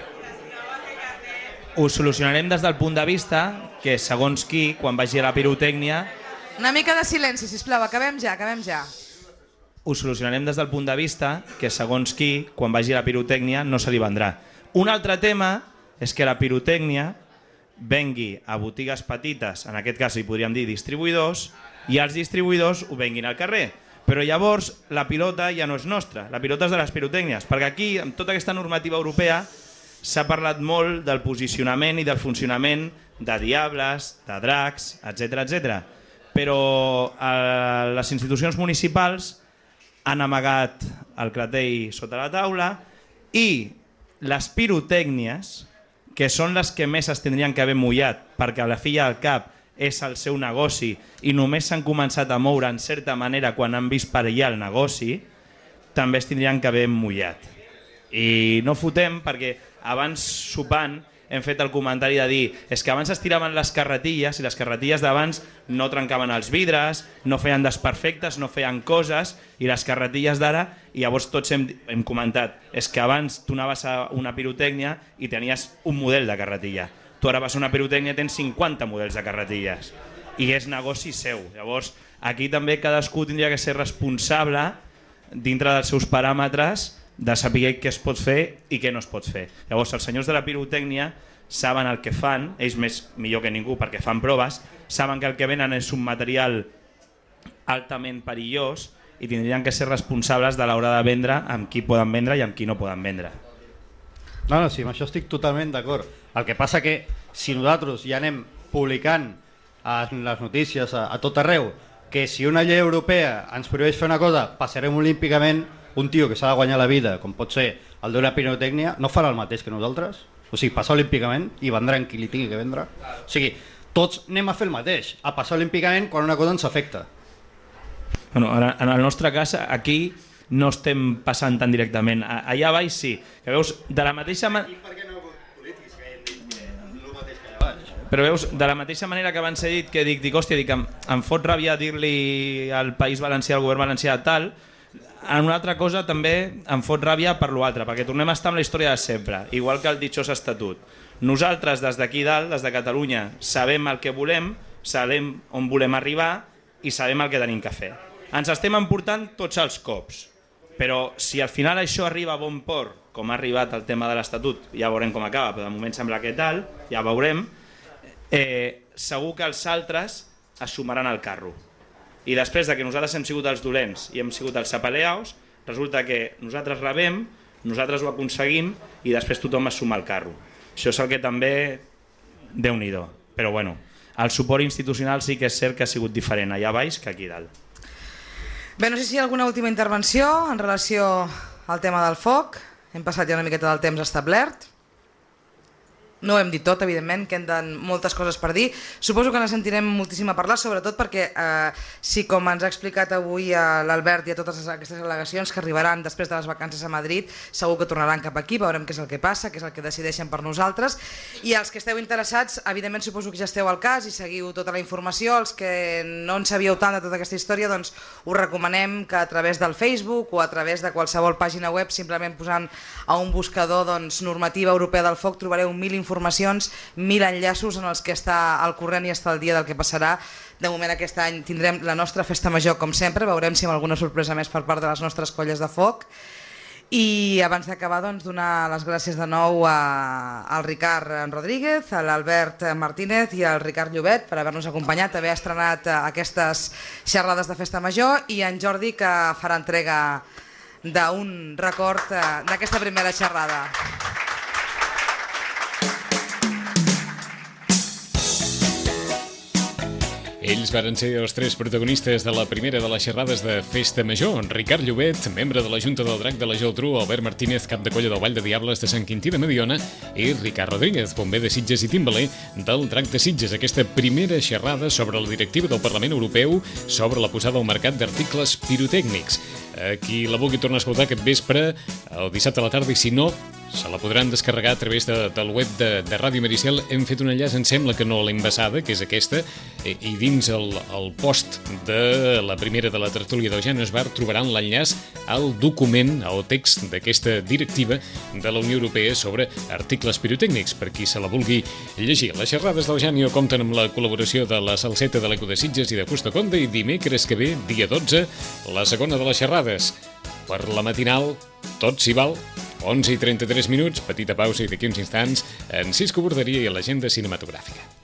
Ho solucionarem des del punt de vista que segons qui, quan vagi a la pirotècnia... Una mica de silenci, sisplau, acabem ja. Ho solucionarem des del punt de vista que segons qui, quan vagi a la pirotècnia, no se li vendrà. Un altre tema és que la pirotècnia vengui a botigues petites, en aquest cas hi podríem dir distribuïdors, i els distribuïdors ho venguin al carrer. Però llavors la pilota ja no és nostra, la pilota és de les pirotècnies, perquè aquí, amb tota aquesta normativa europea, s'ha parlat molt del posicionament i del funcionament de diables, de dracs, etc. Però les institucions municipals han amagat el clatell sota la taula i les pirotècnies, que són les que més es tindrien que haver mullat, perquè a la fi al cap és el seu negoci i només s'han començat a moure en certa manera quan han vist perillar el negoci, també es tindrien que haver mullat. I no fotem perquè abans sopant hem fet el comentari de dir és que abans es tiraven les carretilles i les carretilles d'abans no trencaven els vidres, no feien desperfectes, no feien coses, i les carretilles d'ara, i llavors tots hem comentat, és que abans tu anaves a una pirotècnia i tenies un model de carretilla. Tu ara vas a una pirotècnia i tens 50 models de carretilles i és negoci seu. Llavors aquí també cadascú tindria que ser responsable dintre dels seus paràmetres de saber què es pot fer i què no es pot fer. Llavors els senyors de la pirotècnia saben el que fan, ells millor que ningú perquè fan proves, saben que el que venen és un material altament perillós i tindrien que ser responsables de l'hora de vendre amb qui poden vendre i amb qui no poden vendre. No, sí, amb això estic totalment d'acord. El que passa que si nosaltres ja anem publicant en les notícies a tot arreu que si una llei europea ens prohibeix fer una cosa, passarem olímpicament, un tio que s'ha de guanyar la vida, com pot ser el d'una pirotècnia, no farà el mateix que nosaltres? O sigui, passar olímpicament i vendran qui li tingui que vendre? O sigui, tots anem a fer el mateix, a passar olímpicament quan una cosa ens afecta. Bueno, en el nostre cas, aquí no estem passant tan directament. Allà baix sí, que veus, de la mateixa manera... Però veus, de la mateixa manera que abans he dit que dic, hòstia, em fot ràbia dir-li al País Valencià, al govern valencià tal, en una altra cosa també em fot ràbia per l'altre, perquè tornem a estar amb la història de sempre, igual que el ditxós estatut. Nosaltres, des d'aquí dalt, des de Catalunya, sabem el que volem, sabem on volem arribar i sabem el que tenim que fer. Ens estem emportant tots els cops, però si al final això arriba a bon port, com ha arribat el tema de l'Estatut, ja veurem com acaba, però de moment sembla que tal, ja veurem, segur que els altres es sumaran al carro. I després de que nosaltres hem sigut els dolents i hem sigut els apaleaus, resulta que nosaltres rebem, nosaltres ho aconseguim i després tothom es suma al carro. Això és el que també... Déu-n'hi-do. Però bueno, el suport institucional sí que és cert que ha sigut diferent allà baix que aquí dalt. Bé, no sé si hi ha alguna última intervenció en relació al tema del foc. Hem passat ja una miqueta del temps establert. No ho hem dit tot, evidentment, queden moltes coses per dir. Suposo que ne sentirem moltíssim a parlar, sobretot perquè, si com ens ha explicat avui l'Albert i a totes aquestes al·legacions que arribaran després de les vacances a Madrid, segur que tornaran cap aquí, veurem què és el que passa, què és el que decideixen per nosaltres. I els que esteu interessats, evidentment suposo que ja esteu al cas i seguiu tota la informació. Els que no en sabíeu tant de tota aquesta història, doncs us recomanem que a través del Facebook o a través de qualsevol pàgina web, simplement posant a un buscador normativa europea del foc, trobareu 1000 informacions, 1000 enllaços en els que està al corrent i està al dia del que passarà. De moment aquest any tindrem la nostra festa major com sempre, veurem si amb alguna sorpresa més per part de les nostres colles de foc. I abans d'acabar, donar les gràcies de nou al Ricard Rodríguez, a l'Albert Martínez i al Ricard Llobet per haver-nos acompanyat, haver estrenat aquestes xerrades de festa major, i en Jordi, que farà entrega d'un record d'aquesta primera xerrada. Ells varen ser els tres protagonistes de la primera de les xerrades de Festa Major. Ricard Llobet, membre de la Junta del Drac de la Geltrú, Albert Martínez, cap de colla del Vall de Diables de Sant Quintí de Mediona, i Ricard Rodríguez, bomber de Sitges i timbaler del Drac de Sitges. Aquesta primera xerrada sobre la directiva del Parlament Europeu sobre la posada al mercat d'articles pirotècnics. Qui la vulgui tornar a escoltar aquest vespre, el dissabte a la tarda, i si no, se la podran descarregar a través del web de Ràdio Mariciel. Hem fet un enllaç, em sembla que no l'envasada, que és aquesta, i dins el post de la primera de la tertúlia d'Eugeni Esbar trobaran l'enllaç al document, al text d'aquesta directiva de la Unió Europea sobre articles pirotècnics, per qui se la vulgui llegir. Les xerrades d'Eugeni compten amb la col·laboració de la Salseta de l'Eco de Sitges i de Fusta Conde, i dimecres que ve, dia 12, la segona de les xerrades. Per la matinal, tot s'hi val. 11:33, petita pausa i d'aquí uns instants en Cisco Borderia i l'agenda cinematogràfica.